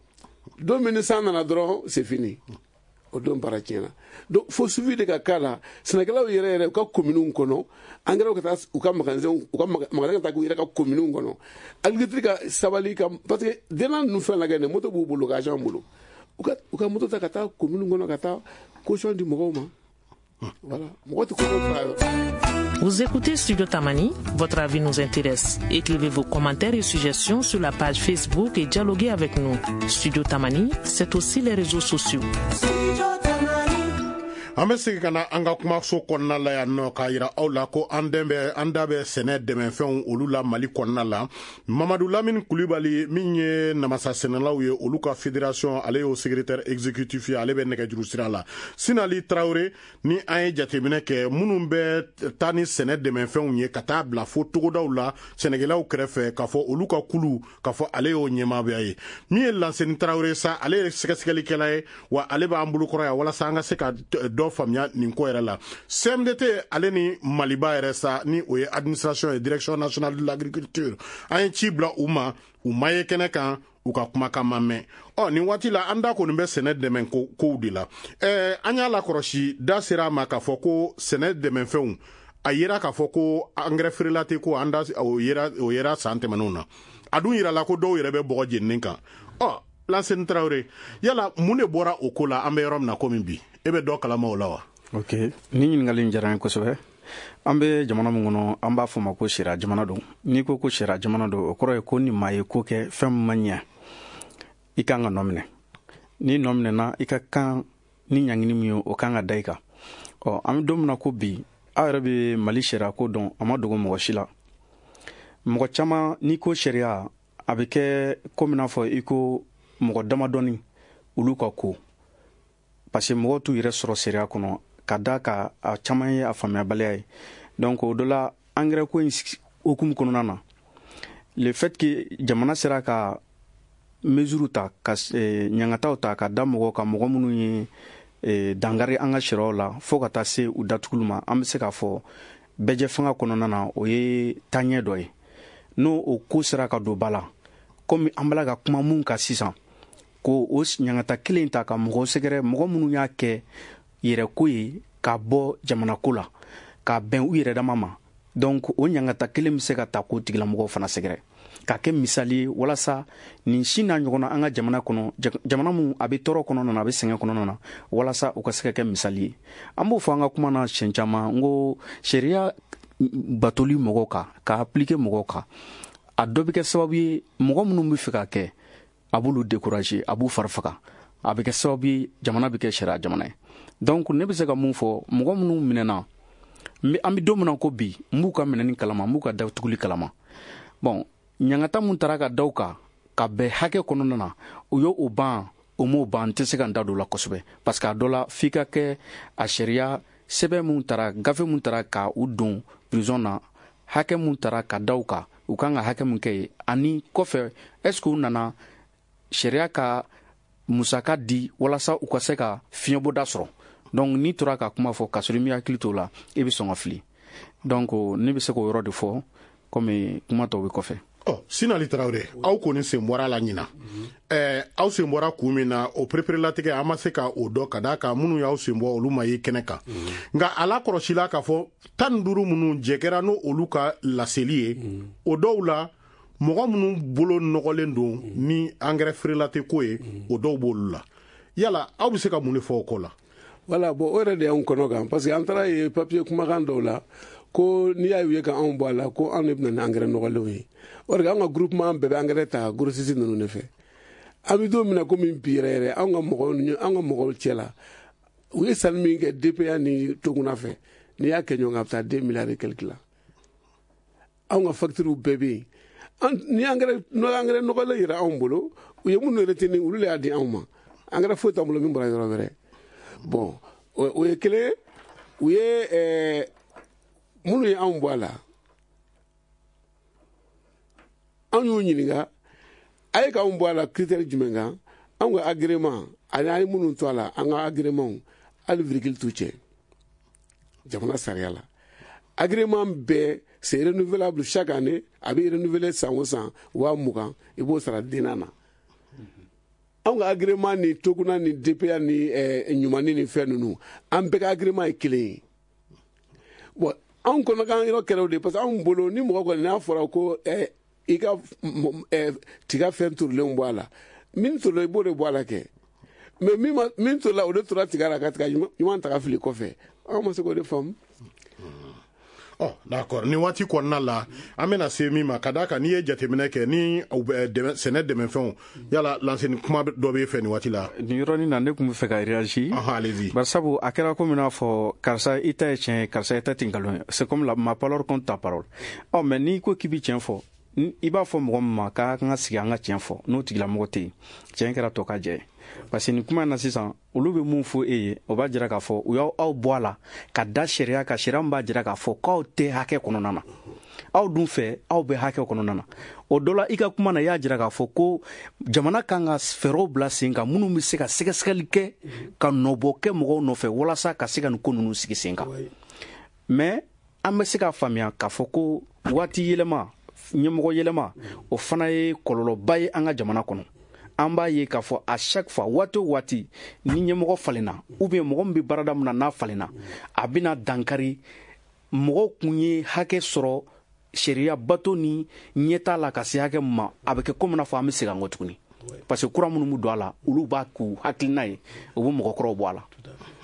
Don min ni san nana dɔrɔn, c'est fini, o don baara tiɲɛna. Donc fo suivi de ka k'a la, sɛnɛkɛlaw yɛrɛ yɛrɛ u ka communes kɔnɔ, engrais ka taa u ka magasin, u ka magasin ka taa k'u yɛrɛ ka communes kɔnɔ, agriculture ka sabali ka, parce que denna ninnu fɛn lajɛ nin moto b'u bolo, ka agent bolo, u ka u ka moto ta ka taa commune kɔnɔ ka taa caution di mɔgɔw ma. Voilà, mɔgɔ tɛ caution sɔrɔ a yɔrɔ. Vous écoutez Studio Tamani, votre avis nous intéresse. Écrivez vos commentaires et suggestions sur la page Facebook et dialoguez avec nous. Studio Tamani, c'est aussi les réseaux sociaux. An bɛ segin ka na an ka kumaso kɔnɔna la yan nɔ, k'a yira aw la ko an den bɛ an da bɛ sɛnɛ dɛmɛfɛnw olu la Mali kɔnɔna la. Mamadu Lamini Kulibali, min ye namasa sɛnɛlaw ye olu ka fédération, ale y'o secrétaire exécutif ye, ale bɛ nɛgɛjuru sira la. Sinali Tarawele, ni an ye jateminɛ kɛ, minnu bɛ taa ni sɛnɛ dɛmɛfɛnw ye ka taa bila fo togodaw la sɛnɛkɛlaw kɛrɛfɛ, k'a fɔ olu ka kulu, k'a fɔ ale y'o ɲɛmaaya ye. Min ye Lanseni Tarawele sa, ale ye sɛgɛsɛgɛlikɛla ye, wa ale b'an bolokɔrɔ yan walasa an ka se ka dɔ faamuya nin ko yɛrɛ la. C M D T ale ni Maliba yɛrɛ sa, ni o ye administration ye, direction nationale de l'agriculture, an ye ci bila u ma, u ma ye kɛnɛ kan, u ka kumakan ma mɛn. Ɔ nin waati la, an da kɔni bɛ sɛnɛ dɛmɛ kow de la. Ɛɛ an y'a lakɔlɔsi, da sera a ma k'a fɔ ko sɛnɛ dɛmɛfɛnw, a yera k'a fɔ ko angɛrɛ feerela tɛ ko an da o yera, o yera san tɛmɛnenw na. A dun yirala ko dɔw yɛrɛ bɛ bɔgɔ jeninen kan. Ɔ Lanseni Tarawele, yala mun de bɔra o ko la? An bɛ yɔrɔ min na komi bi, e bɛ dɔ kalama o la wa? Ok, ni ɲininkali in diyara n ye kosɛbɛ. An bɛ jamana min kɔnɔ, an b'a fɔ ma ko sariya jamana don. N'i ko ko sariya jamana don, o kɔrɔ ye ko ni maa ye ko kɛ fɛn min ma ɲɛ, i kan ka nɔ minɛ. N'i nɔ minɛna, i ka kan ni ɲangini min ye, o kan ka da i kan. Ɔ an bɛ don min na ko bi, aw yɛrɛ bɛ Mali sariya ko dɔn, a ma dogo mɔgɔ si la. Mɔgɔ caman, n'i ko sariya, a bɛ kɛ komi n'a fɔ i ko mɔgɔ damadɔni olu ka ko, parce que mɔgɔw t'u yɛrɛ sɔrɔ sariya kɔnɔ, ka da ka a caman ye a faamuyabaliya ye. Donc o dɔ la, engrais ko in hukumu kɔnɔna na, le fait que jamana sera ka mesure ta, ka ɲangataw ta ka da mɔgɔw kan, mɔgɔ minnu ye dankari an ka sariyaw la, fo ka taa se u datuguli ma, an bɛ se k'a fɔ bɛɛjɛ fanga kɔnɔna na, o ye taaɲɛ dɔ ye. N'o o ko sera ka don ba la, komi an b'a la ka kuma mun kan sisan, ko o ɲangata kelen ta ka mɔgɔw sɛgɛrɛ, mɔgɔ minnu y'a kɛ yɛrɛko ye ka bɔ jamana ko la ka bɛn u yɛrɛ dama ma, donc o ɲangata kelen bɛ se ka ta k'o tigilamɔgɔw fana sɛgɛrɛ, ka kɛ misali ye walasa nin si n'a ɲɔgɔnna an ka jamana kɔnɔ, jamana mun a bɛ tɔɔrɔ kɔnɔna na, a bɛ sɛgɛn kɔnɔna na, walasa u ka se ka kɛ misali ye. An b'o fɔ an ka kuma na siɲɛ caman, n ko sariya batoli mɔgɔw kan, ka appliquer mɔgɔw kan, a dɔ bɛ kɛ sababu ye mɔgɔ minnu bɛ fɛ ka kɛ, a b'olu décourager, a b'u fari faga, a bɛ kɛ sababu ye jamana bɛ kɛ sariya jamana ye. Donc ne bɛ se ka mun fɔ? Mɔgɔ minnu minɛna, an bɛ don min na ko bi, n b'u ka minɛni kalama, n b'u ka datuguli kalama. Bon, ɲangata mun taara ka da u kan ka bɛn hakɛ kɔnɔna na, u y'o o ban, o m'o ban, n tɛ se ka n da don o la kosɛbɛ, parce que a dɔ la f'i ka kɛ a sariya sɛbɛn mun taara, gafe mun taara ka u don prison na, hakɛ mun taara ka da u kan, u kan ka hakɛ mun kɛ yen, ani kɔfɛ est ce que u nana sariya ka musaka di walasa u ka se ka fiɲɛbɔda sɔrɔ. Donc n'i tora ka kuma fɔ k'a sɔrɔ i m'i hakili t'o la, i bɛ sɔn ka fili. Donc ne bɛ se k'o yɔrɔ de fɔ, komi kuma tɔw bɛ kɔfɛ. Ɔ Sinali Tarawele, aw kɔni sen bɔra a la ɲina. Ɛɛ aw sen bɔra kun min na, o pereperelatigɛ an ma se ka o dɔn, ka d'a kan minnu y'aw sen bɔ olu ma ye kɛnɛ kan. Nka a lakɔlɔsila k'a fɔ tan ni duuru minnu jɛ kɛra n'o olu ka laseli ye, o dɔw la mɔgɔ minnu bolo nɔgɔlen don ni angɛrɛ feerela tɛ ko ye, o dɔw b'olu la. Yala aw bɛ se ka mun de fɔ o ko la? Voilà, bon, o yɛrɛ de y'anw kɔnɔ kan, parce que an taara ye papier kumakan dɔw la ko n'i y'a ye ka anw bɔ a la, ko anw de bɛna ni angɛrɛ nɔgɔlenw ye. O de anw ka groupement bɛɛ bɛ angɛrɛ ta grossiste ninnu de fɛ. An bɛ don min na komi bi yɛrɛ yɛrɛ, anw ka mɔgɔw anw ka mɔgɔw cɛ la, u ye sanni min kɛ D P A ni Toguna fɛ, n'i y'a kɛ ɲɔgɔn kan, a bɛ taa deux milliards et quelque la. Anw ka factures bɛɛ bɛ yen. Ni angɛrɛ angɛrɛ nɔgɔlen yɛrɛ anw bolo, u ye minnu retenir, olu de y'a di anw ma. Angɛrɛ foyi t'an bolo min bɔra yɔrɔ wɛrɛ. Bon, o ye kelen. U ye minnu ye anw bɔ a la, anw y'u ɲininka a ye k'anw bɔ a la critère jumɛn kan? Anw ka agrément ani an ye minnu to a la, an ka agrément hali virgule t'u cɛ jamana sariya la. Agrément bɛɛ c'est renouvelable chaque année, a bɛ renouveler san o san, waa mugan i b'o sara denna na. Anw ka agrément ni Toguna ni D P A ni ɲumanni ni fɛn ninnu, an bɛɛ ka agrément ye kelen ye. Bon, anw kɔnɔ k'an yɔrɔ kɛra o de ye, parce que anw bolo ni mɔgɔ kɔni n'a fɔra ko i ka tiga fɛn turulenw bɔ a la, min turula i b'o de bɔ a la kɛ, mais min ma min turula o de tora tiga la ka tiga ɲuman ta ka fili kɔfɛ. Anw ma se k'o de faamu. Ɔ d'accord, nin waati kɔnɔna la an bɛna se min ma, ka d'a kan n'i ye jateminɛ kɛ ni sɛnɛ dɛmɛfɛnw, yala lanseni kuma dɔ b'e fɛ nin waati la? Nin yɔrɔnin na ne tun bɛ fɛ ka réagir. Allez-y. Bari sabu a kɛra komi n'a fɔ karisa i ta ye tiɲɛ ye, karisa i ta tɛ nkalon ye. C'est comme la, ma parole contre ta parole. Ɔ mais n'i ko k'i bɛ tiɲɛ fɔ, i b'a fɔ mɔgɔ min ma k'a kan ka sigi an ka tiɲɛ fɔ, n'o tigilamɔgɔ tɛ yen, tiɲɛ kɛra tɔ ka jɛ ye. Parce que nin kuma in na sisan, olu bɛ mun fɔ e ye, o b'a jira k'a fɔ u y'aw aw bɔ a la ka da sariya kan, sariya min b'a jira k'a fɔ k'aw tɛ hakɛ kɔnɔna na. Aw dun fɛ aw bɛ hakɛ kɔnɔna na. O dɔ la i ka kuma na, i y'a jira k'a fɔ ko jamana kan ka fɛɛrɛw bila sen kan minnu bɛ se ka sɛgɛsɛgɛli kɛ ka nɔbɔ kɛ mɔgɔw nɔfɛ walasa ka se ka nin ko ninnu sigi sen kan. Mais an bɛ se k'a faamuya k'a fɔ ko waati yɛlɛma, ɲɛmɔgɔ yɛlɛma, o fana ye kɔlɔlɔba ye an ka jamana kɔnɔ. An b'a ye k'a fɔ à chaque fois, waati o waati ni ɲɛmɔgɔ falenna ou bien mɔgɔ min bɛ baarada min na n'a falenna, a bɛna dankari mɔgɔw kun ye hakɛ sɔrɔ sariya bato ni ɲɛtaa la ka se hakɛ min ma, a bɛ kɛ komi n'a fɔ an bɛ segin an kɔ tuguni. Parce que kura minnu bɛ don a la, olu b'a k'u hakilina ye, u bɛ mɔgɔkɔrɔw bɔ a la.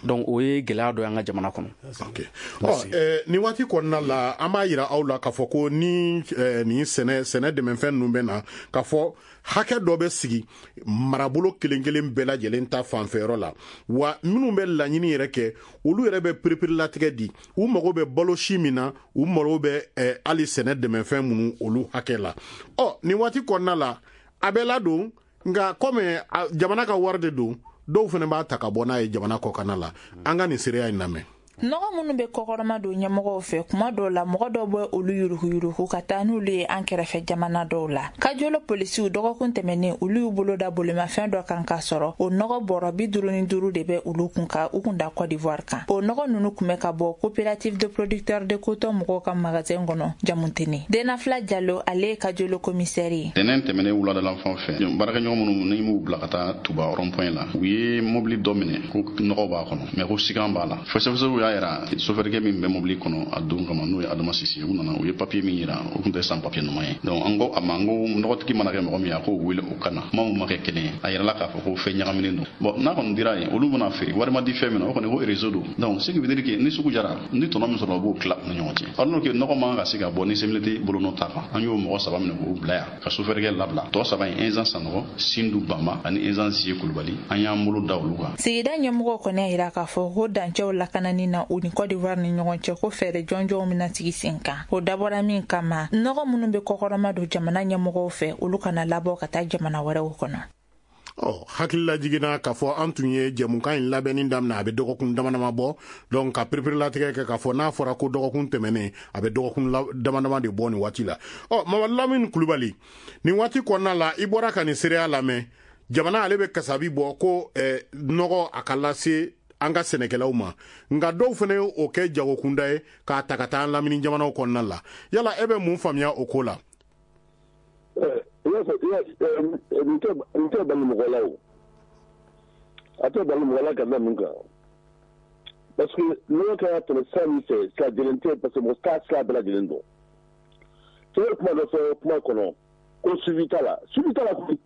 Donc o ye gɛlɛya dɔ ye an ka jamana kɔnɔ. Ok. Ɔ nin waati kɔnɔna la, an b'a yira aw la k'a fɔ ko ni nin sɛnɛ sɛnɛ dɛmɛfɛn ninnu bɛ na, k'a fɔ hakɛ dɔ bɛ sigi marabolo kelen kelen bɛɛ lajɛlen ta fanfɛyɔrɔ la, wa minnu bɛ laɲini yɛrɛ kɛ, olu yɛrɛ bɛ pereperelatigɛ di, u mago bɛ balo si min na, u mago bɛ hali sɛnɛ dɛmɛfɛn minnu olu hakɛ la. Ɔ nin waati kɔnɔna la a bɛ ladon, nka komi jamana ka wari de don, dɔw fana b'a ta ka bɔ n'a ye jamana kɔkanna la. An ka nin seereya in lamɛn. Nɔgɔ minnu bɛ kɔkɔrɔma don ɲɛmɔgɔw fɛ, kuma dɔw la mɔgɔ dɔw bɛ olu yuruguyurugu ka taa n'olu ye an kɛrɛfɛ jamana dɔw la. Kajolo polisiw dɔgɔkun tɛmɛnen, olu y'u bolo da bolimafɛn dɔ kan k'a sɔrɔ o nɔgɔ bɔrɔ bi duuru ni duuru de bɛ olu kun ka u kun da Côte d'Ivoire kan. O nɔgɔ ninnu kun bɛ ka bɔ coopérative de producteurs de coton mɔgɔw ka magasin kɔnɔ Jamutene. Denafila Jalo, ale ye Kajolo commissaire ye. Tɛnɛn tɛmɛnen wuladalan fan fɛ, baarakɛɲɔgɔn minnu ni m'u bila ka taa Tuba rond-point la, u ye mobili dɔ minɛ ko nɔgɔ b'a kɔnɔ, mais ko sigan b'a la. Fɛsɛfɛsɛw y'a yira sofɛrikɛ min bɛ mobili kɔnɔ a don kama, n'o ye Adama Sisi, u nana u ye papier min yira, o tun tɛ san papier ɲuman ye. Donc an ko a ma, n ko nɔgɔtigi mana kɛ mɔgɔ min ye, a k'o wele o kana kuma min ma kɛ kelen ye. A yirala k'a fɔ ko fɛn ɲagaminen don. Bon, n'a kɔni dira yen, olu bɛna feere, wari ma di fɛn min na, o kɔni ko réseau don. Donc ce qui veut dire que ni sugu jara, ni tɔnɔ min sɔrɔ, o b'o tila u ni ɲɔgɔn cɛ. Alors que nɔgɔ man ka se ka bɔ ni C M L T bolonɔ ta kan, an y'o mɔgɔ saba minɛ k'o bila yan ka sofɛrikɛ labila. Tɔ saba in, Inzan Sanɔgɔ, Sindu Bama ani Inzan Ziye Kulubali, an y'an bolo da olu kan. Sigida ɲɛmɔgɔw kɔni y'a yira k'a fɔ ko dancɛw lakanani na u ni Côte d'Ivoire ni ɲɔgɔn cɛ, ko fɛɛrɛ jɔnjɔnw bɛna sigi sen kan. O dabɔra min kama, nɔgɔ minnu bɛ kɔkɔrɔma don jamana ɲɛmɔgɔw fɛ, olu kana labɔ ka taa jamana wɛrɛw kɔnɔ. Ɔ hakilila jiginna k'a fɔ an tun ye jɛmukan in labɛnni daminɛ, a bɛ dɔgɔkun dama dama bɔ. Donc ka pereperelatigɛ kɛ k'a fɔ n'a fɔra ko dɔgɔkun tɛmɛnen, a bɛ dɔgɔkun dama dama de bɔ nin waati la. Ɔ Mamadu Lamini Kulubali, nin waati kɔnɔna la, i bɔra ka nin seereya lamɛn. Jamana ale bɛ kasabi bɔ ko nɔgɔ a ka lase an ka sɛnɛkɛlaw ma, nka dɔw fana ye o kɛ jagokunda ye k'a ta ka taa an lamini jamanaw kɔnɔna la. Yala e bɛ mun faamuya o ko la? Nin tɛ bali mɔgɔ la o. A tɛ bali mɔgɔ la ka da mun kan? Parce que nɔgɔ kan ka tɛmɛ sira min fɛ, sira jɛlen tɛ, parce que mɔgɔ t'a sira bɛɛ lajɛlen dɔn. Cɛ ye kuma dɔ fɔ kuma kɔnɔ ko suivi t'a la. Suivi t'a la koyi.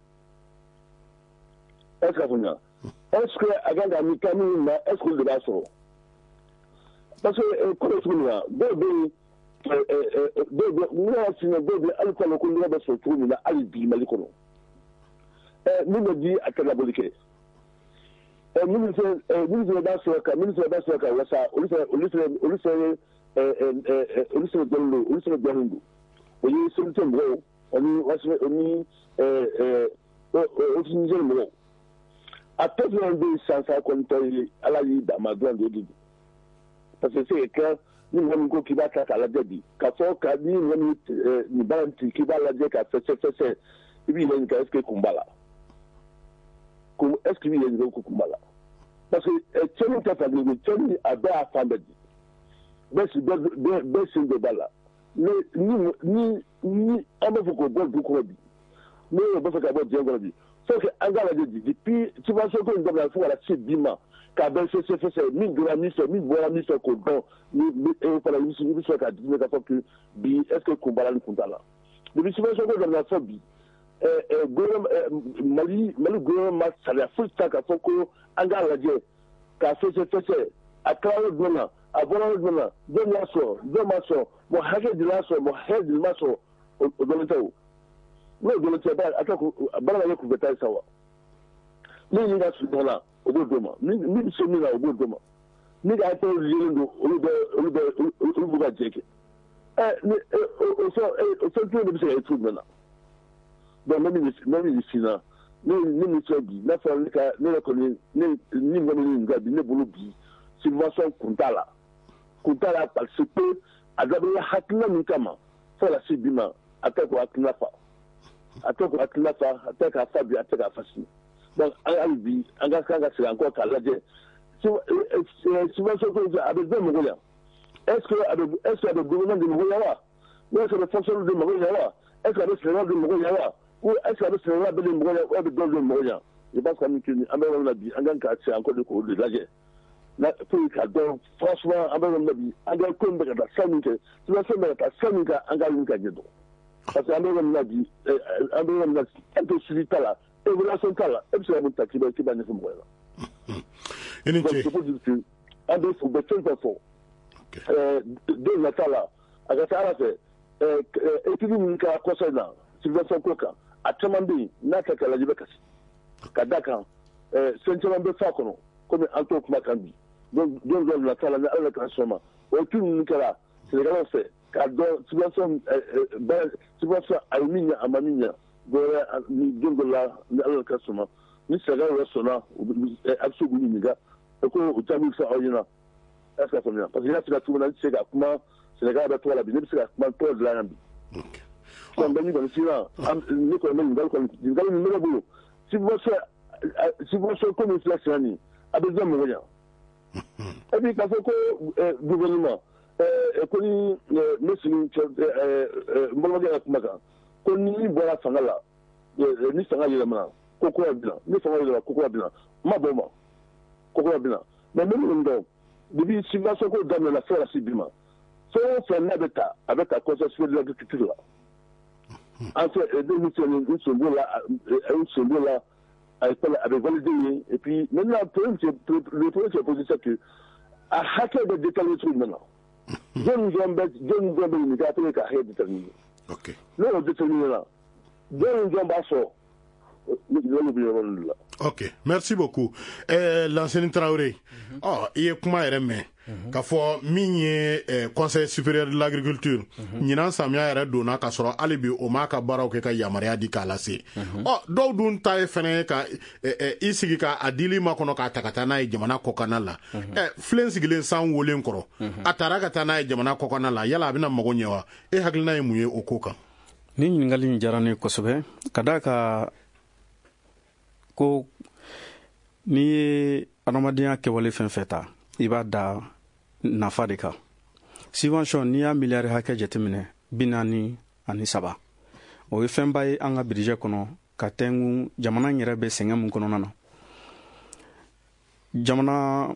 Est ce que a faamuya? Est ce que a kan ka min taa min ma, est ce que olu de b'a sɔrɔ? Parce que ko bɛ cogo min na, dɔw bɛ yen, dɔw bɛ n y'a f'i ɲɛna, dɔw bɛ hali k'a lɔn ko nɔgɔ bɛ sɔrɔ cogo min na hali bi Mali kɔnɔ. Min bɛ di a tɛ labɔli kɛ. Minnu fɛnɛ minnu fɛnɛ b'a sɔrɔ ka minnu fɛnɛ b'a sɔrɔ ka wasa, olu fɛnɛ olu fɛnɛ olu fɛnɛ olu fɛnɛ dɔnnen don olu fɛnɛ dɔnnen don. O ye C N T mɔgɔw ani ani Office Niger mɔgɔw. A tɔ fɛnɛ bɛ yen sisan sa kɔni tɔ ye Ala y'i dama dɔrɔn de, o de don. Parce que c'est clair, ni mɔgɔ min ko k'i b'a ta k'a lajɛ bi, k'a fɔ ka ni mɔgɔ min nin baara in ci k'i b'a lajɛ ka fɛsɛ fɛsɛ, i b'i yɛrɛ ɲininka est ce que kun b'a la? Ko est ce que i b'i yɛrɛ ɲininka ko kun b'a la? Parce que cɛnni tɛ fankelen ko cɛnni, a bɛɛ y'a fan bɛɛ di. Bɛɛ bɛɛ bɛɛ sen dɔ b'a la. Mais ni ni ni an b'a fɔ k'o bɔ dugu kɔnɔ bi, n'o b'a fɛ ka bɔ diɲɛ kɔnɔ bi, faut que an k'a lajɛ bi depuis subvention ko in daminɛ fo ka na se bi ma, k'a bɛɛ fɛsɛ fɛsɛ, min donna min fɛ, min bɔra min fɛ, k'o dɔn. Ni e fana i bɛ sɔrɔ k'a jateminɛ k'a fɔ que bi est ce que kun b'a la ni kun t'a la. Depuis subvention ko daminɛ fɔ bi, Mali Mali gouvernement ma sariya foyi ta k'a fɔ ko an k'a lajɛ k'a fɛsɛ fɛsɛ, a kɛra yɔrɔ jumɛn na, a bɔra yɔrɔ jumɛn na, jɔn y'a sɔrɔ, jɔn m'a sɔrɔ, mɔgɔ hakɛ joli y'a sɔrɔ, mɔgɔ hakɛ joli m'a sɔrɔ, o dɔnnen tɛ o. N'o dɔnnen tɛ, a tɛ baara ka kɛ kunfɛta ye sa wa. Min min ka surun ɲɔgɔn na, o b'o d'o ma. Min min bɛ se min na, o b'o d'o ma. Min ka hakɛw yelen don, olu bɛ olu bɛ olu b'u ka jɛ kɛ. Ɛ ni o fɛn o fɛn kelen de bɛ se ka ye cogo jumɛn na? Donc ne min ne min f'i ɲɛna, ne ne min filɛ bi, n'a fɔra ne ka ne yɛrɛ kɔni, ne ni mɔgɔ min ɲininka bi, ne bolo bi subvention kun t'a la, kun t'a la, parce que a dabɔra hakilina min kama fo ka se bi ma, a tɛ k'o hakilina fa, a tɛ k'o hakilina fa, a tɛ k'a fa bi, a tɛ k'a fa sini. Donc hali bi an ka kan ka segin an kɔ k'a lajɛ subvention ko a bɛ bɛɛ mago ɲa. Est ce que a bɛ est ce que a bɛ gouvernement de mago ɲa wa, ou est ce que a bɛ fonctionnaire de mago ɲa wa, est ce que a bɛ sɛnɛkɛlaw de mago ɲa wa, ou est ce que a bɛ sɛnɛkɛla bɛɛ de mago ɲa, ou a bɛ dɔw de mago ɲa? Je pense que an bɛ yɔrɔ min na bi, an kan ka segin an kɔ de k'o de lajɛ na pour k'a dɔn franchement an bɛ yɔrɔ min na bi, an ka ko in bɛ ka taa sira min fɛ, subvention bɛ ka taa sira min kan, an k'a ɲini ka ɲɛ dɔn. Parce que an bɛ yɔrɔ min na bi, an bɛ yɔrɔ min na, tant que suivi t'a la, évaluation t'a la, e bɛ se ka mun ta k'i b'a k'i b'a ɲɛfɔ mɔgɔ ɲɛna? I ni ce. Donc c'est pour dire que an bɛ u bɛ fɛn fɛn fɔ don nata la, a ka ca Ala fɛ, étude min kɛra kɔsɔ in na subvention ko kan, a caman bɛ yen n'a ta k'a lajɛ, i bɛ kasi ka da kan fɛn caman bɛ fɔ a kɔnɔ komi an t'o kuma kan bi. Don dɔ nata la, ni Ala ka sɔn ma, o étude ninnu kɛra sɛnɛkɛlaw fɛ k'a dɔn subvention subvention a ye min ɲɛ, a ma min ɲɛ, dɔwɛrɛ ni don dɔ la, ni Ala ka sɔn ma, ni sɛnɛkɛlaw yɛrɛ sɔnna, a bɛ se k'u ɲininka ko o jaabi bɛ fɔ aw ɲɛna. Est ce que a faamuya? Parce que n y'a f'i ka cogo min na, ne tɛ se ka kuma sɛnɛkɛla bɛɛ tɔgɔ la bi, ne bɛ se ka kuma tɔgɔ dilan yan bi. Donc bɛ min kɔni f'i ɲɛna, ne kɔni bɛ ɲininkali kɔni ɲininkali min bɛ ne bolo, subvention subvention ko min filɛ sen na nin, a bɛ jɔn mago ɲa? Et puis k'a fɔ ko gouvernement ko ni ne sigi cɛ n balimakɛ ka kuma kan ko ni min bɔra fanga la, ni fanga yɛlɛmana, ko kura bɛ na, ni fanga yɛlɛmana, ko kura bɛ na, n ma bɔ o ma ko kura bɛ na. Mais n bɛ min dɔn, depuis subvention ko daminɛna fo ka se bi ma, fɛn o fɛn n'a bɛ ta, a bɛ ta Conseil supérieur de l'agriculture la. An fɛ ne min filɛ nin ye, n sen b'o la, n sen b'o la, a bɛ valider yen. Et puis maintenant problème le problème qui est posé, c'est que a hakɛ bɛ déterminer cogo jumɛn na? Jɔn jɔn bɛ jɔn jɔn bɛ ɲininka pour que ka hakɛ déterminer? N'o y'o déterminer la, jɔn jɔn b'a sɔrɔ? Ɲininkaliw bɛ yɔrɔ de la. Ok, merci beaucoup. eh, Lansini Traoré, ɔ i ye kuma yɛrɛ mɛn k'a fɔ min ye eh, Conseil supérieur de l'agriculture, ɲinan samiya yɛrɛ donna k'a sɔrɔ hali bi o m'a ka baaraw kɛ ka yamaruya di k'a lase. Ɔ dɔw dun ta ye fɛnɛ ka eh, eh, i sigi ka a dili ma kɔnɔ k'a ta ka taa n'a ye jamana kɔkanna la. eh, filen sigilen san wolen kɔrɔ, a taara ka taa n'a ye jamana kɔkanna la, yala a bɛna mago ɲɛ wa? E hakilina ye mun ye o ko kan? Ni ɲininkali in diyara ne ye kosɛbɛ, ka d'a ka ko n'i ye adamadenya kɛwale fɛn fɛn ta, i b'a da nafa de kan. Subvention, n'i y'a miliyari hakɛ jateminɛ, bi naani ani saba, O ye fɛnba ye an ka budget kɔnɔ ka tɛnku jamana yɛrɛ bɛ sɛgɛn mun kɔnɔna na. Jamana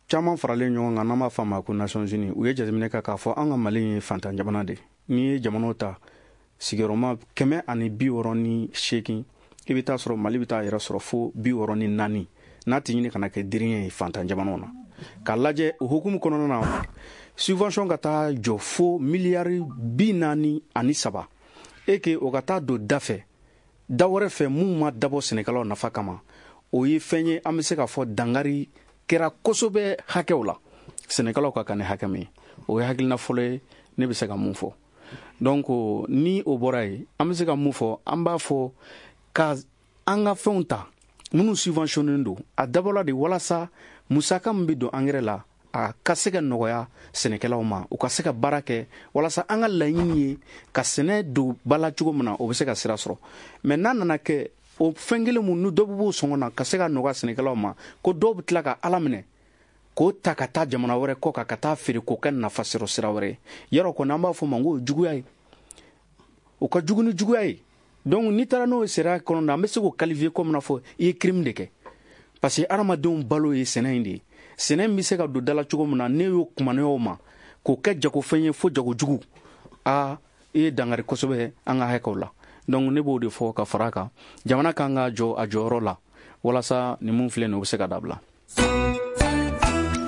caman faralen ɲɔgɔn kan, n'an b'a fɔ a ma ko Nations Unies, u ye jateminɛ kɛ k'a fɔ an ka Mali ye fantan jamana de. N'i ye jamanaw ta sigiyɔrɔma kɛmɛ ani bi wɔɔrɔ ni seegin, i bɛ taa sɔrɔ Mali bɛ taa yɛrɛ sɔrɔ fo bi wɔɔrɔ ni naani, n'a tɛ ɲini ka na kɛ diriɲɛ ye fantan jamanaw na. K'a lajɛ o hukumu kɔnɔna na, subvention ka taa jɔ fo miliyari bi naani ani saba, e ke o ka taa don da fɛ, da wɛrɛ fɛ mun ma dabɔ sɛnɛkɛlaw nafa kama, o ye fɛn ye an bɛ se k'a fɔ dangari kɛra kosɛbɛ hakɛw la, sɛnɛkɛlaw ka kan ni hakɛ min ye. O ye hakilina fɔlɔ ye ne bɛ se ka mun fɔ. Donc ni o bɔra yen, an bɛ se ka mun fɔ? An b'a fɔ ka an ka fɛnw ta minnu subventionné don, a dabɔla de walasa musaka min bɛ don angɛrɛ la, a ka se ka nɔgɔya sɛnɛkɛlaw ma, u ka se ka baara kɛ, walasa an ka laɲini ye ka sɛnɛ don ba la cogo min na, o bɛ se ka sira sɔrɔ. Mais n'a nana kɛ o fɛn kelen mun ni dɔ bɛ b'o sɔngɔ na ka se ka nɔgɔya sɛnɛkɛlaw ma, ko dɔw bɛ tila ka Ala minɛ k'o ta ka taa jamana wɛrɛ kɔ kan ka taa feere k'o kɛ nafa sɔrɔ sira wɛrɛ ye, yarɔ kɔni an b'a fɔ o ma ko o ye juguya ye, o ka jugu ni juguya ye. Donc n'i taara n'o ye sariya kɔnɔ na, an bɛ se k'o qualifier comme n'a fɔ i ye crime de kɛ, parce que hadamadenw balo ye sɛnɛ in de ye. Sɛnɛ in bɛ se ka don da la cogo min na, ne y'o kumana o ma k'o kɛ jagofɛn ye fo jagojugu, aa i ye dangari kosɛbɛ an ka hakɛw la. Donc ne b'o de fɔ ka fara a kan, jamana kan ka jɔ a jɔyɔrɔ la walasa nin mun filɛ nin ye, o bɛ se ka dabila.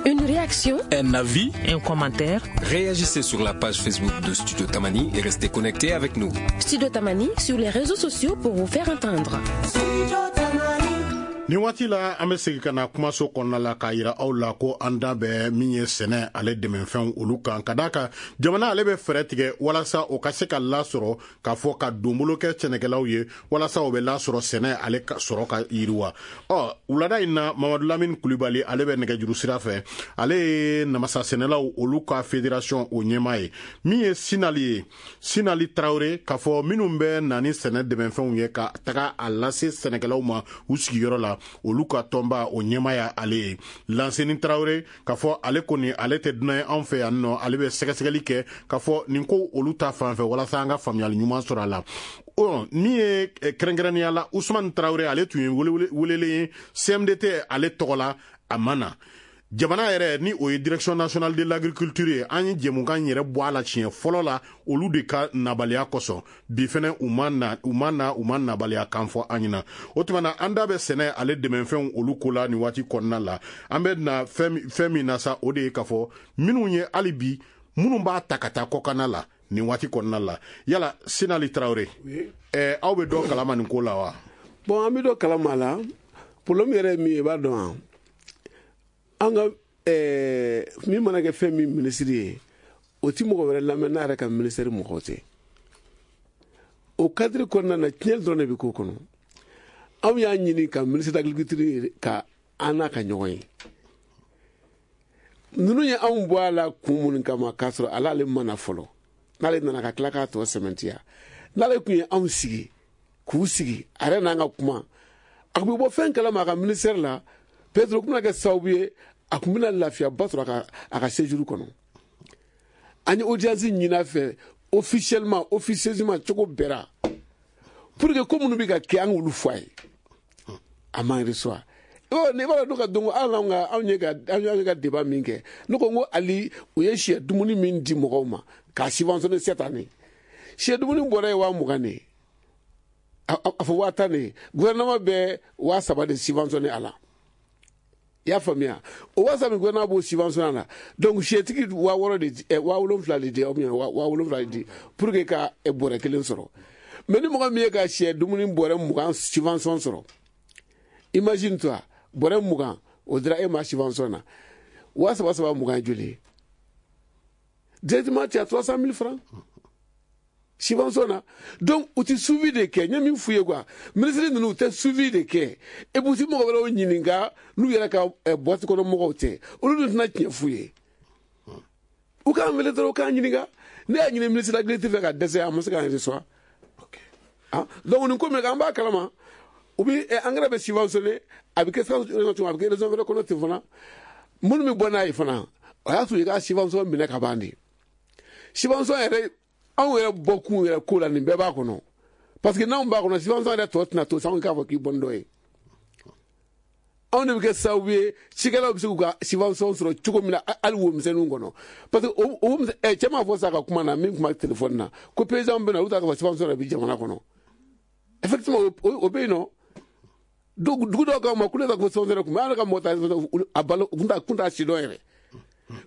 Une réaction, un avis, un commentaire. Réagissez sur la page Facebook de Studio Tamani et restez connectés avec nous. Studio Tamani sur les réseaux sociaux pour vous faire entendre. Nin waati la, an bɛ segin ka na kumaso kɔnɔna la k'a yira aw la ko an da bɛ min ye sɛnɛ ale dɛmɛfɛnw olu kan, ka d'a kan jamana ale bɛ fɛɛrɛ tigɛ walasa o ka se ka lasɔrɔ, k'a fɔ ka donbolo kɛ sɛnɛkɛlaw ye walasa o bɛ lasɔrɔ, sɛnɛ ale ka sɔrɔ ka yiriwa. Ɔ wulada in na, Mamadu Lamini Kulibali ale bɛ nɛgɛjuru sira fɛ, ale ye namasa sɛnɛlaw olu ka fédération o ɲɛmaa ye. Min ye Sinali ye, Sinali Tarawele, k'a fɔ minnu bɛ na ni sɛnɛ dɛmɛfɛnw ye ka taga a lase sɛnɛkɛlaw ma u sigiyɔrɔ la, olu ka tɔnba o ɲɛmaaya ale ye. Lanseni Tarawele, k'a fɔ ale kɔni ale tɛ dunan ye anw fɛ yan nɔ, ale bɛ sɛgɛsɛgɛli kɛ k'a fɔ nin ko olu ta fan fɛ walasa an ka faamuyali ɲuman sɔrɔ a la. Ɔ min ye kɛrɛnkɛrɛnnenya la Usumani Tarawele, ale tun ye welelen ye C M D T ale tɔgɔ la, a ma na. Jamana yɛrɛ ni o ye Direction nationale de l'agriculture ye, an ye jɛmukan yɛrɛ bɔ a la siɲɛ fɔlɔ la olu de ka nabaliya kosɔn. Bi fɛnɛ u ma na, u ma na, u ma nabaliya kan fɔ an ɲɛna. O tuma na, an da bɛ sɛnɛ ale dɛmɛfɛnw olu ko la nin waati kɔnɔna la. An bɛ na fɛn fɛn min na sa, o de ye k'a fɔ minnu ye hali bi minnu b'a ta ka taa kɔkanna la nin waati kɔnɔna la. Yala Sinali Tarawele, ɛɛ aw bɛ dɔ kalama nin ko la wa? Bon, an bɛ dɔ kalama la. Problème yɛrɛ ye min ye, i b'a dɔn wa? An ka ɛɛ min mana kɛ fɛn min minisiri ye, o ti mɔgɔ wɛrɛ lamɛn n'a yɛrɛ ka minisiri mɔgɔw tɛ. O cadre kɔnɔna na, tiɲɛli dɔrɔn de bɛ k'o kɔnɔ. Anw y'a ɲini ka ministre d'agriculture ka an n'a ka ɲɔgɔn ye. Ninnu ye anw bɔ a la kun minnu kama, k'a sɔrɔ ale ale ma na fɔlɔ. N'ale nana ka tila k'a tɔ sɛmɛntiya. N'ale tun ye anw sigi k'u sigi, a yɛrɛ n'an ka kuma, a tun bɛ bɔ fɛn kalama a ka ministère la, peut-être o tun bɛna kɛ sababu ye a tun bɛna lafiyaba sɔrɔ a ka a ka séjour kɔnɔ. An ye audience ɲini a fɛ officiellement, officieusement, cogo bɛɛ la, pour que ko minnu bɛ ka kɛ, an k'olu fɔ a ye. A m'an reçoit. Ne b'a dɔn ka dɔn ko hali anw ka anw ye ka anw ye ka débat min kɛ, ne ko n ko hali u ye sɛ dumuni min di mɔgɔw ma k'a subventionner cette année, sɛ dumuni bɔra ye waa mugan de ye, a fɔ waa tan de ye, gouvernement bɛ waa saba de subventionner a la. I y'a faamuya? O waa saba min gouvernement b'o subventionner a la, donc sɛtigi waa wɔɔrɔ de di, waa wolonfila de di, ou bien waa wolonfila de di pour que ka bɔrɛ kelen sɔrɔ. Mais ni mɔgɔ min ye ka sɛ dumuni bɔrɛ mugan subvention sɔrɔ, imagine toi, bɔrɛ mugan o dira e ma subvention na, waa saba saba mugan ye joli ye? Directement tu as trois cent mille francs subvention na. Donc u ti suivi de kɛ. N ye min f'u ye quoi, ministre ninnu u tɛ suivi de kɛ, et puis u ti mɔgɔ wɛrɛw ɲininka n'u yɛrɛ ka boîte kɔnɔ mɔgɔw tɛ, olu dun tɛna tiɲɛ f'u ye. U k'an wele dɔrɔn, u k'an ɲininka. Ne y'a ɲini ministre de l'agriculture fɛ ka dɛsɛ, a ma se k'an reçoit. Ah, donc nin ko min an b'a kalama, u bi engrais bɛ subventionné, a bɛ kɛ a bɛ kɛ région wɛrɛ kɔnɔ ten fana. Minnu bɛ bɔ n'a ye fana, o y'a sɔrɔ i ka subvention minɛ ka ban de. Subvention yɛrɛ Anw yɛrɛ bɔkun yɛrɛ ko la nin bɛɛ b'a kɔnɔ parce que n'anw b'a kɔnɔ subvention yɛrɛ tɔ tɛna to sa anw k'a fɔ k'i bɔ ni dɔ ye. Anw de bɛ kɛ sababu ye cikɛlaw bɛ se k'u ka subvention sɔrɔ cogo min na hali wo misɛnninw kɔnɔ parce que o o ɛ cɛ m'a fɔ sa ka kuma na min kuma téléphone na ko paysan bɛ na olu t'a ka fɔ subvention yɛrɛ bɛ jamana kɔnɔ effectivement o bɛ yen nɔ. Donc dugu dɔw k'aw ma ko ne ka ko subvention yɛrɛ kun bɛ an yɛrɛ ka mɔgɔ ta a balo kun t'a kun t'a si dɔn yɛrɛ.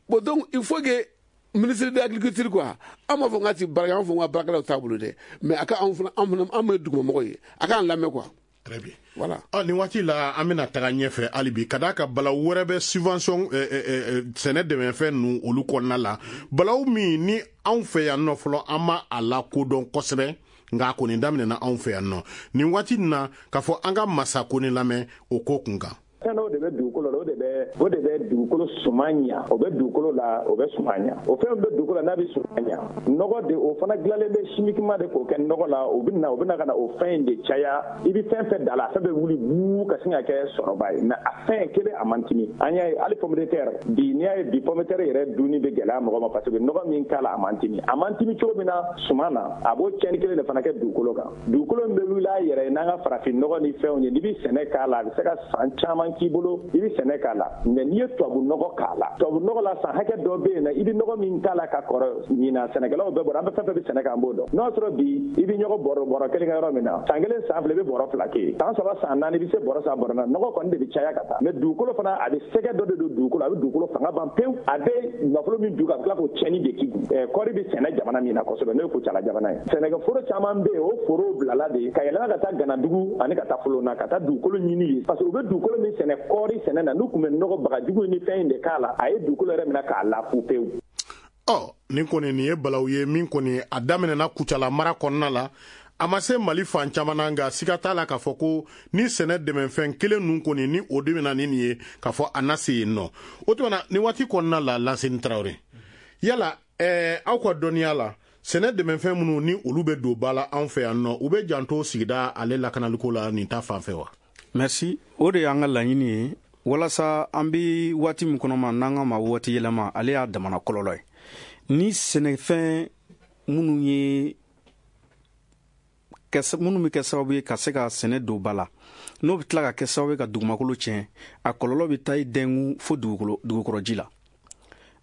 Bon donc il faut que ministre de l'agriculture quoi an b'a fɔ n ka ti baara kɛ an fɔ n ka baarakɛlaw t'a bolo dɛ mais a ka anw fana an fana an ye dugumamɔgɔ ye a k'an lamɛn quoi. Très bien. Voilà. Ah, nin waati la an bɛna taga ɲɛfɛ hali bi ka d'a kan balawu wɛrɛ bɛ subvention sɛnɛ dɛmɛfɛn ninnu olu kɔnɔna la balawu min ni anw fɛ yan nɔ fɔlɔ an ma a lakodɔn kosɛbɛ nka a kɔni daminɛna anw fɛ yan nɔ nin waati nin na k'a fɔ an ka masa kɔni lamɛn o ko kun kan. Fɛn dɔw de bɛ dugukolo la o de bɛ o de bɛ dugukolo suman ɲa o bɛ dugukolo la o bɛ suman ɲa o fɛn bɛ dugukolo la n'a bɛ suman ɲa nɔgɔ de o fana dilanlen bɛ chimiquement de k'o kɛ nɔgɔ la o bɛ na o bɛ na ka na o fɛn in de caya i bɛ fɛn fɛn da la a fɛn bɛ wuli buu ka sin ka kɛ sɔrɔba ye mais a fɛn kelen a man timi an y'a ye hali pomme de terre bi n'i y'a ye bi pomme de terre yɛrɛ dunni bɛ gɛlɛya mɔgɔ ma parce que nɔgɔ min k'a la a man timi a man timi cogo min na suman na a b'o tiɲɛni kelen de fana kɛ dugukolo kan dugukolo min bɛ wuli a yɛrɛ ye n'an ka farafin nɔgɔ ni fɛnw ye n'i bɛ sɛnɛ k'a la a bɛ se ka san caman k'i bolo i bɛ sɛnɛ k'a la mais n'i ye tubabu nɔgɔ k'a la tubabu nɔgɔ la san hakɛ dɔ bɛ yen na i bɛ nɔgɔ min k'a la ka kɔrɔ ɲinan sɛnɛkɛlaw bɛɛ bɔra an bɛ fɛn fɛn bɛ sɛnɛ k'an b'o dɔn n'o y'a sɔrɔ bi i bɛ ɲɔgɔn bɔrɔ bɔrɔ kelen kɛ yɔrɔ min na san kelen san fila i bɛ bɔrɔ fila kɛ yen san saba san naani i bɛ se bɔrɔ saba bɔrɔ naani nɔgɔ kɔni de bɛ caya ka taa mais dugukolo fana a bɛ sɛgɛ dɔ de don dugukolo a bɛ dugukolo fanga ban pewu a bɛ nafolo min dun ka tila k'o tiɲɛni de k'i kun kɔɔri bɛ sɛnɛ jamana min na kosɛbɛ n'o ye Kucala jamana ye sɛnɛkɛforo caman bɛ yen o forow bilala de ka yɛlɛma ka taa Ganadugu ani ka taa Folona ka taa dugukolo ɲini yen parce que u bɛ dugukolo min sɛnɛ kɔɔri sɛnɛ na n'u tun bɛ nɔgɔ bagajugu ni fɛn in de k'a la a ye dugukolo yɛrɛ minɛ k'a lafu pewu. Ɔ nin kɔni nin ye balawu ye min kɔni a daminɛna Kucala mara kɔnɔna la a ma se Mali fan caman na nka siga t'a la k'a fɔ ko ni sɛnɛ dɛmɛfɛn kelen ninnu kɔni ni o de bɛna ni nin ye k'a fɔ a na se yen nɔ o tuma na nin waati kɔnɔna la Lanseni Tarawele yala ɛɛ aw ka dɔnniya la sɛnɛ dɛmɛfɛn minnu ni olu bɛ don ba la anw fɛ yan nɔ u bɛ janto sigida ale lakanaliko la nin ta fan fɛ wa. Merci o de y'an ka laɲini ye walasa an bɛ waati min kɔnɔ ma n'an ka ma waati yɛlɛma ale y'a damana kɔlɔlɔ ye ni sɛnɛfɛn minnu ye minnu bɛ kɛ sababu ye ka se ka sɛnɛ don ba la n'o bɛ tila ka kɛ sababu ye ka dugumakolo tiɲɛ a kɔlɔlɔ bɛ taa i dɛngu fo dugukolo dugukɔrɔji la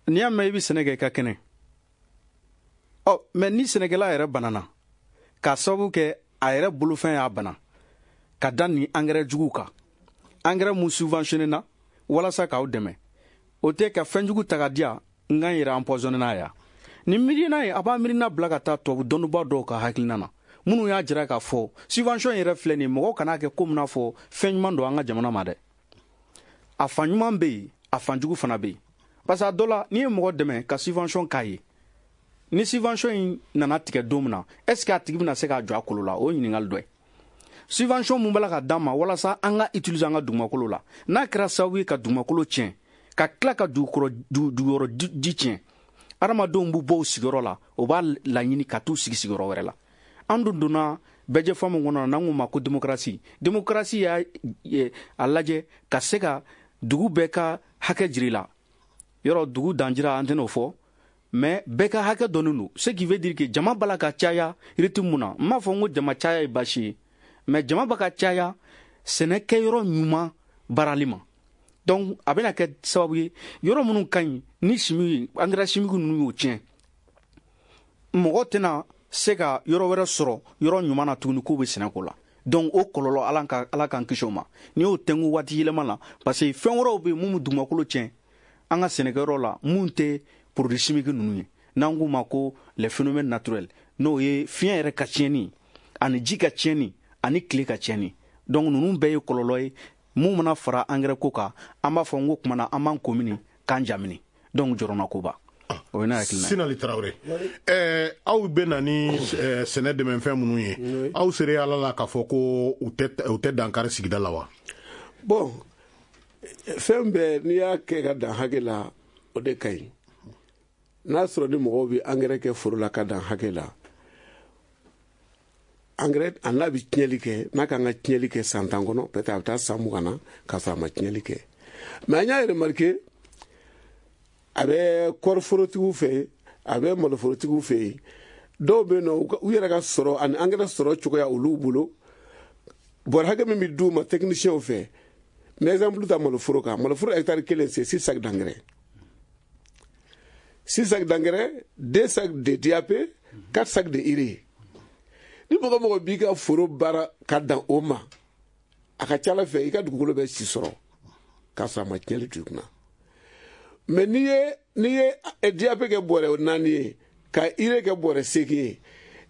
n'i y'a mɛn i bɛ sɛnɛ kɛ i ka kɛnɛ ɔ mɛ ni sɛnɛkɛla yɛrɛ banana k'a sababu kɛ a yɛrɛ bolofɛn y'a bana ka da nin angɛrɛ juguw kan angɛrɛ mun subventionné na walasa k'aw dɛmɛ o tɛ ka fɛn jugu ta ka di yan n ka n yɛrɛ empoisonné n'a ye nin miirina ye a b'a miirina bila ka taa tubabu dɔnnibaa dɔw ka hakilina na minnu y'a jira k'a fɔ subvention yɛrɛ filɛ nin ye mɔgɔw kan'a kɛ komi n'a fɔ fɛn ɲuman don an ka jamana ma dɛ a fan ɲuman bɛ yen a fan jugu fana bɛ yen parce que a dɔ la n'i ye mɔgɔ dɛmɛ ka subvention k'a ye ni subvention in nana tigɛ don min na est ce que a tigi bɛna se k'a jɔ a kolo la o ye ɲininkali dɔ ye subvention mun b'a la ka d'an ma walasa an ka utiliser an ka dugumakolo la n'a kɛra sababu ye ka dugumakolo tiɲɛ ka tila ka dugukɔrɔ duguyɔrɔ ji tiɲɛ adamadenw b'u bɔ u sigiyɔrɔ la o b'a laɲini ka t'u sigi sigiyɔrɔ wɛrɛ la an dun donna bɛɛjɛfɔ min kɔnɔ n'an k'o ma ko démocratie démocratie y'a a lajɛ ka se ka dugu bɛɛ ka hakɛ jira i la yɔrɔ dugu danjira an tɛn'o fɔ mais bɛɛ ka hakɛ dɔnnen don ce qui veut dire que jama b'a la ka caya rythme mun na n m'a fɔ n ko jama caya ye baasi ye mais jama b'a ka caya sɛnɛkɛyɔrɔ ɲuman baarali ma donc a bɛna kɛ sababu ye yɔrɔ minnu ka ɲi ni chimique engrais chimique ninnu y'o tiɲɛ mɔgɔ tɛna se ka yɔrɔ wɛrɛ sɔrɔ yɔrɔ ɲuman na tuguni k'o bɛ sɛnɛ ko la donc o kɔlɔlɔ ala ka ala k'an kisi o ma n'i y'o tɛnku waati yɛlɛma la parce que fɛn wɛrɛw bɛ yen mun bɛ dugumakolo tiɲɛ an ka sɛnɛkɛyɔrɔ la mun tɛ produit chimique ninnu ye n'an k'u ma ko les phénomènes naturels n'o ye fiɲɛ yɛrɛ ka tiɲɛni ani ji ka tiɲɛni ani tile ka tiɲɛni donc ninnu bɛɛ ye kɔlɔlɔ ye mun mana fara engrais ko kan an b'a fɔ n ko kuma na an b'an ko mini k'an jamini donc jɔrɔna koba o ye ne hakilina ye. Sinali Tarawele ɛɛ aw bɛ na ni sɛnɛ dɛmɛfɛn minnu ye aw sera ala la k'a fɔ ko u tɛ u tɛ dankari sigida la wa. Bon fɛn bɛɛ n'i y'a kɛ ka dan hakɛ la o de ka ɲi n'a sɔrɔ ni mɔgɔw bɛ angɛrɛ kɛ foro la ka dan hakɛ la angɛrɛ a n'a bɛ tiɲɛli kɛ n'a kan ka tiɲɛli kɛ san tan kɔnɔ peut-être a bɛ taa san mugan na k'a sɔrɔ a ma tiɲɛli kɛ mais an y'a remarqué a bɛ kɔɔriforotigiw fɛ yen a bɛ maloforotigiw fɛ yen Dɔw bɛ yen nɔ, u yɛrɛ ka sɔrɔ ani angɛrɛ sɔrɔ cogoya olu bolo, bɔrɛ hakɛ min bɛ d'u ma techniciens fɛ. N bɛ exemple ta maloforo kan. Maloforo hectare kelen, c'est six sacs d'engrais. Six sacs d'engrais, deux sacs de D A P, quatre sacs de urée. Ni mɔgɔ mɔgɔ b'i ka foro baara ka dan o ma, a ka ca ala fɛ i ka dugukolo bɛ si sɔrɔ k'a sɔrɔ a ma tiɲɛli to i kunna. Mais n'i ye n'i ye D A P kɛ bɔrɛ naani ye, ka urée kɛ bɔrɛ seegin ye,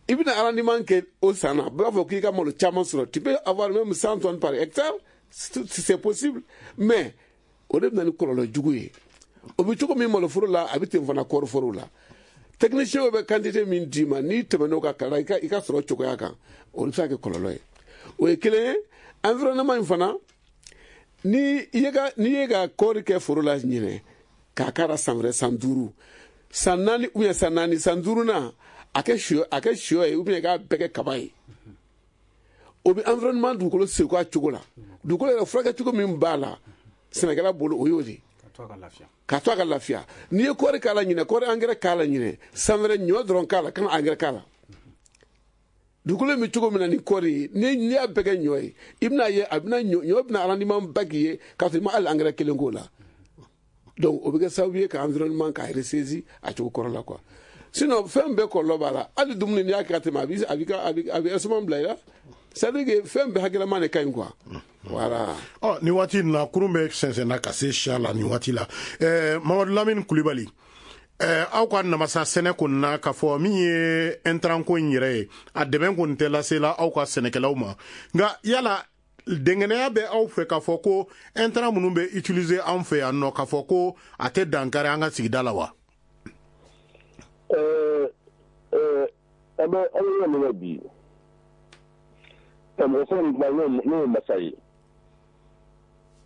i bɛna rendement kɛ o san na, bɛɛ b'a fɔ k'i ka malo caman sɔrɔ, tu peux avoir même cent tonnes par hectare si c'est possible. Mais o de bɛ na ni kɔlɔlɔ jugu ye. O bɛ cogo min maloforo la, a bɛ ten fana kɔɔriforo la. Technicien bɛ quantité min d'i ma, n'i tɛmɛn'o kan kalan i ka i ka sɔrɔ cogoya kan, o bɛ se ka kɛ kɔlɔlɔ ye. O ye kelen ye. Environnement in fana, ni i ye ka n'i ye ka kɔɔri kɛ foro la ɲinɛ, k'a k'a la san wɛrɛ, san duuru, san naani, ou bien san naani, san duurunan, a kɛ sɔ a kɛ sɔ ye, ou bien k'a bɛɛ kɛ kaba ye, o bɛ environnement dugukolo segu a cogo la. Dugukolo yɛrɛ furakɛ cogo min b'a la sɛnɛkɛla bolo, o y'o de ye k'a to a ka lafiya. N'i ye kɔɔri k'a la ɲinɛ, kɔɔri angɛrɛ k'a la ɲinɛ, san wɛrɛ ɲɔ dɔrɔn k'a la, kana angɛrɛ k'a la. Dugukolo bɛ cogo min na ni kɔɔri ye, ni n'i y'a bɛɛ kɛ ɲɔ ye, i bɛna ye a bɛna ɲɔ ɲɔ bɛna rendement ba k'i ye k'a sɔrɔ i ma hali angɛrɛ kelen k'o la. Donc o bɛ kɛ sababu ye ka environnement k'a ressaisi a cogo kɔrɔ la quoi. Sinon fɛn bɛɛ kɔlɔlɔ b'a la. Hali dumuni, n'i y'a kɛ ka tɛmɛ, a b'i a b'i ka a bɛ a bɛ estomac bila i la. C'est à dire que fɛn bɛɛ hakilama de ka ɲi quoi, voilà. Ɔ, nin waati in na, kurun bɛ sɛnsɛnna ka se siya la nin waati la. ɛɛ Mamadu Lamini Kulibali, ɛɛ aw ka namasa sɛnɛ kɔni na, k'a fɔ min ye intrant ko in yɛrɛ ye, a dɛmɛ kɔni tɛ lasela aw ka sɛnɛkɛlaw ma. Nka yala dɛngɛnɛya bɛ aw fɛ k'a fɔ ko intrant minnu bɛ utiliser anw fɛ yan nɔ, k'a fɔ ko a tɛ dankari an ka sigida la wa? ɛɛ ɛɛ an bɛ an bɛ yɔrɔ min na bi, mɔgɔ fɔlɔ min kuma, n'o ye masa ye.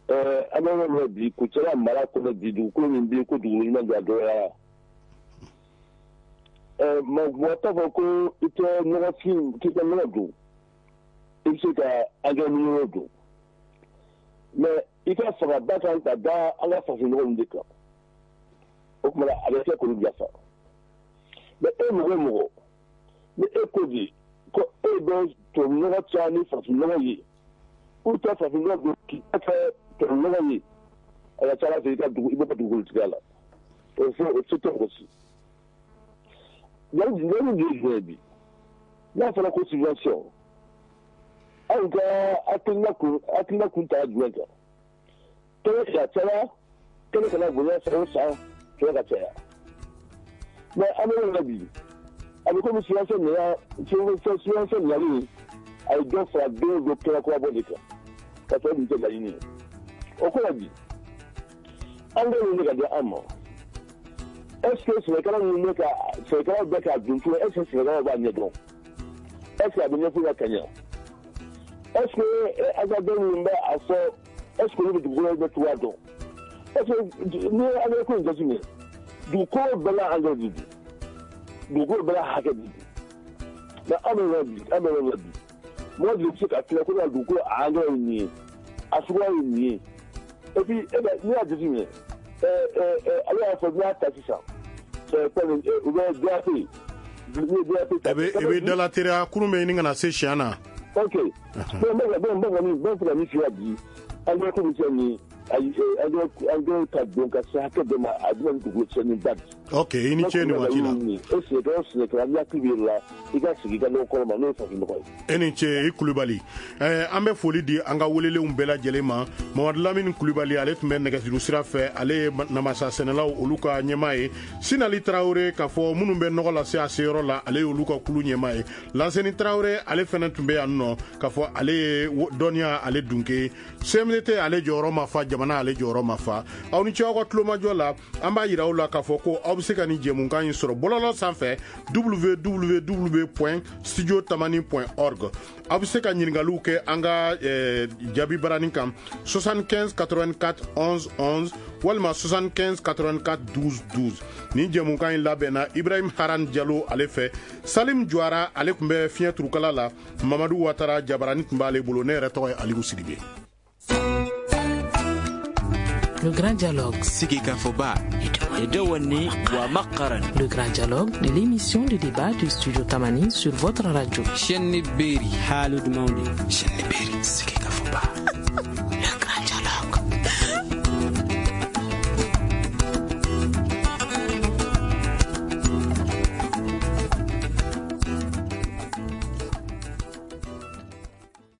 ɛɛ an bɛ yɔrɔ min na bi, Kucala mara kɔnɔ bi, dugukolo min bɛ yen ko dugukolo ɲuman don, a dɔgɔyara. ɛɛ mɔgɔ t'a fɔ ko i tɛ nɔgɔfin k'i ka nɔgɔ don, i bɛ se ka angɛrɛ minɛnw don, mais i ka fangaba kan ka da an ka farafinnɔgɔ ninnu de kan. O tuma a bɛ kɛ k'olu bila sa. Mais e mɔgɔ o mɔgɔ, ni e ko bi ko e bɛ tubabunɔgɔ caya ni farafinnɔgɔ ye, ou tɛ farafinnɔgɔ don k'i ta kɛ tubabunɔgɔ ye, a ka ca ala fɛ i ka dugu i bɛ ka dugukolotigiya la. O fɔ o se tɛ mɔgɔ si. Yanni yanni ye jumɛn ye bi, n'a fɔra ko subvention, anw ka hakilina kun hakilina kun ta jumɛn kan? Kɛnɛ ka caya, kɛnɛ kana bonya san o san, kɛnɛ ka caya. Mais an bɛ yɔrɔ min na bi, a bɛ komi subvention nana, subvention nalen, a ye dɔ fara don o don kɛnɛ kura bɔ de kan, ka sɔrɔ dun tɛ laɲini ye. O kɔrɔ bi, angɛrɛ ninnu bɛ ka di an ma, est ce que sɛnɛkɛla ninnu bɛ ka sɛnɛkɛlaw bɛ k'a dun cogo, est ce que sɛnɛkɛlaw b'a ɲɛdɔn? Est ce que a bɛ ɲɛfɔ ka ɲɛ? Est ce que agriculteurs minnu bɛ a fɔ, est ce que olu bɛ dugukolo bɛ cogoya dɔn? Est ce que n'i ye angɛrɛ ko in jateminɛ, dugukolo bɛɛ la angɛrɛ de don, dugukolo bɛɛ la hakɛ de don. Mais an bɛ yɔrɔ bi an bɛ yɔrɔ bi, mɔgɔ de bɛ se ka tila ko ka dugukolo a angɛrɛ ye nin ye, a suguya ye nin ye. Et puis e bɛ n'i y'a jateminɛ, ɛɛ ɛɛ ale y'a fɔ n'i y'a ta sisan, ɛɛ fɛn u bɛ D A P, n'i ye D A P ta. I bɛ i bɛ dala teriya, kurun bɛ ɲini ka na se siɲɛ na. Ok, bon, n bɛ n bɛ ka min n bɛ fɛ ka min f'i ye bi, angɛrɛ ko bɛ se nin ayi, angɛrɛ angɛrɛ ka don ka se hakɛ dɔ ma, a bɛ na ni dugukolo tiɲɛni ba de. Ok, i ni ce nin waati la. E sɛnɛkɛla o sɛnɛkɛla, n'i hakili b'i yɛrɛ la, i ka sigi i ka nɔgɔ kɔrɔ ma, n'o ye farafin nɔgɔ ye. E ni ce i Kulubali. ɛɛ an bɛ foli di an ka welelenw bɛɛ lajɛlen ma. Mamadu Lamini Kulubali, ale tun bɛ nɛgɛjuru sira fɛ, ale ye namasa sɛnɛlaw olu ka ɲɛmaa ye. Sinali Tarawele, k'a fɔ minnu bɛ nɔgɔ lase a seyɔrɔ la, ale y'olu ka kulu ɲɛmaa ye. Lanseni Tarawele, ale fɛnɛ tun bɛ yan nɔ, k'a fɔ ale ye dɔnniya ale dunke. C M D T, ale jɔyɔrɔ ma fa, jamana ale jɔyɔrɔ ma fa. Aw ni ce aw ka tulomajɔ la. An b'a yira aw la k'a fɔ ko aw bɛ se ka nin jɛmukan in sɔrɔ bɔlɔlɔ sanfɛ, W W W point studio tamani point org. Aw bɛ se ka ɲininkaliw kɛ an ka eh, jaabi barani kan soixante-quinze quatre-vingt-quatre onze onze walima soixante-quinze quatre-vingt-quatre douze douze. Nin jɛmukan in labɛnna Ibrahim Haran Jalo ale fɛ. Salim Juara, ale tun bɛ fiɲɛ turukala la. Mamadu Watara, jabarani tun b'ale bolo. Ne yɛrɛ tɔgɔ ye Aliou Sidibe. Le Grand Dialogue. Sigikafɔba. Le Grand Dialogue, l'émission de débat du Studio Tamani sur votre radio. Chaîne Berry. Chaîne Berry. Sigikafɔba.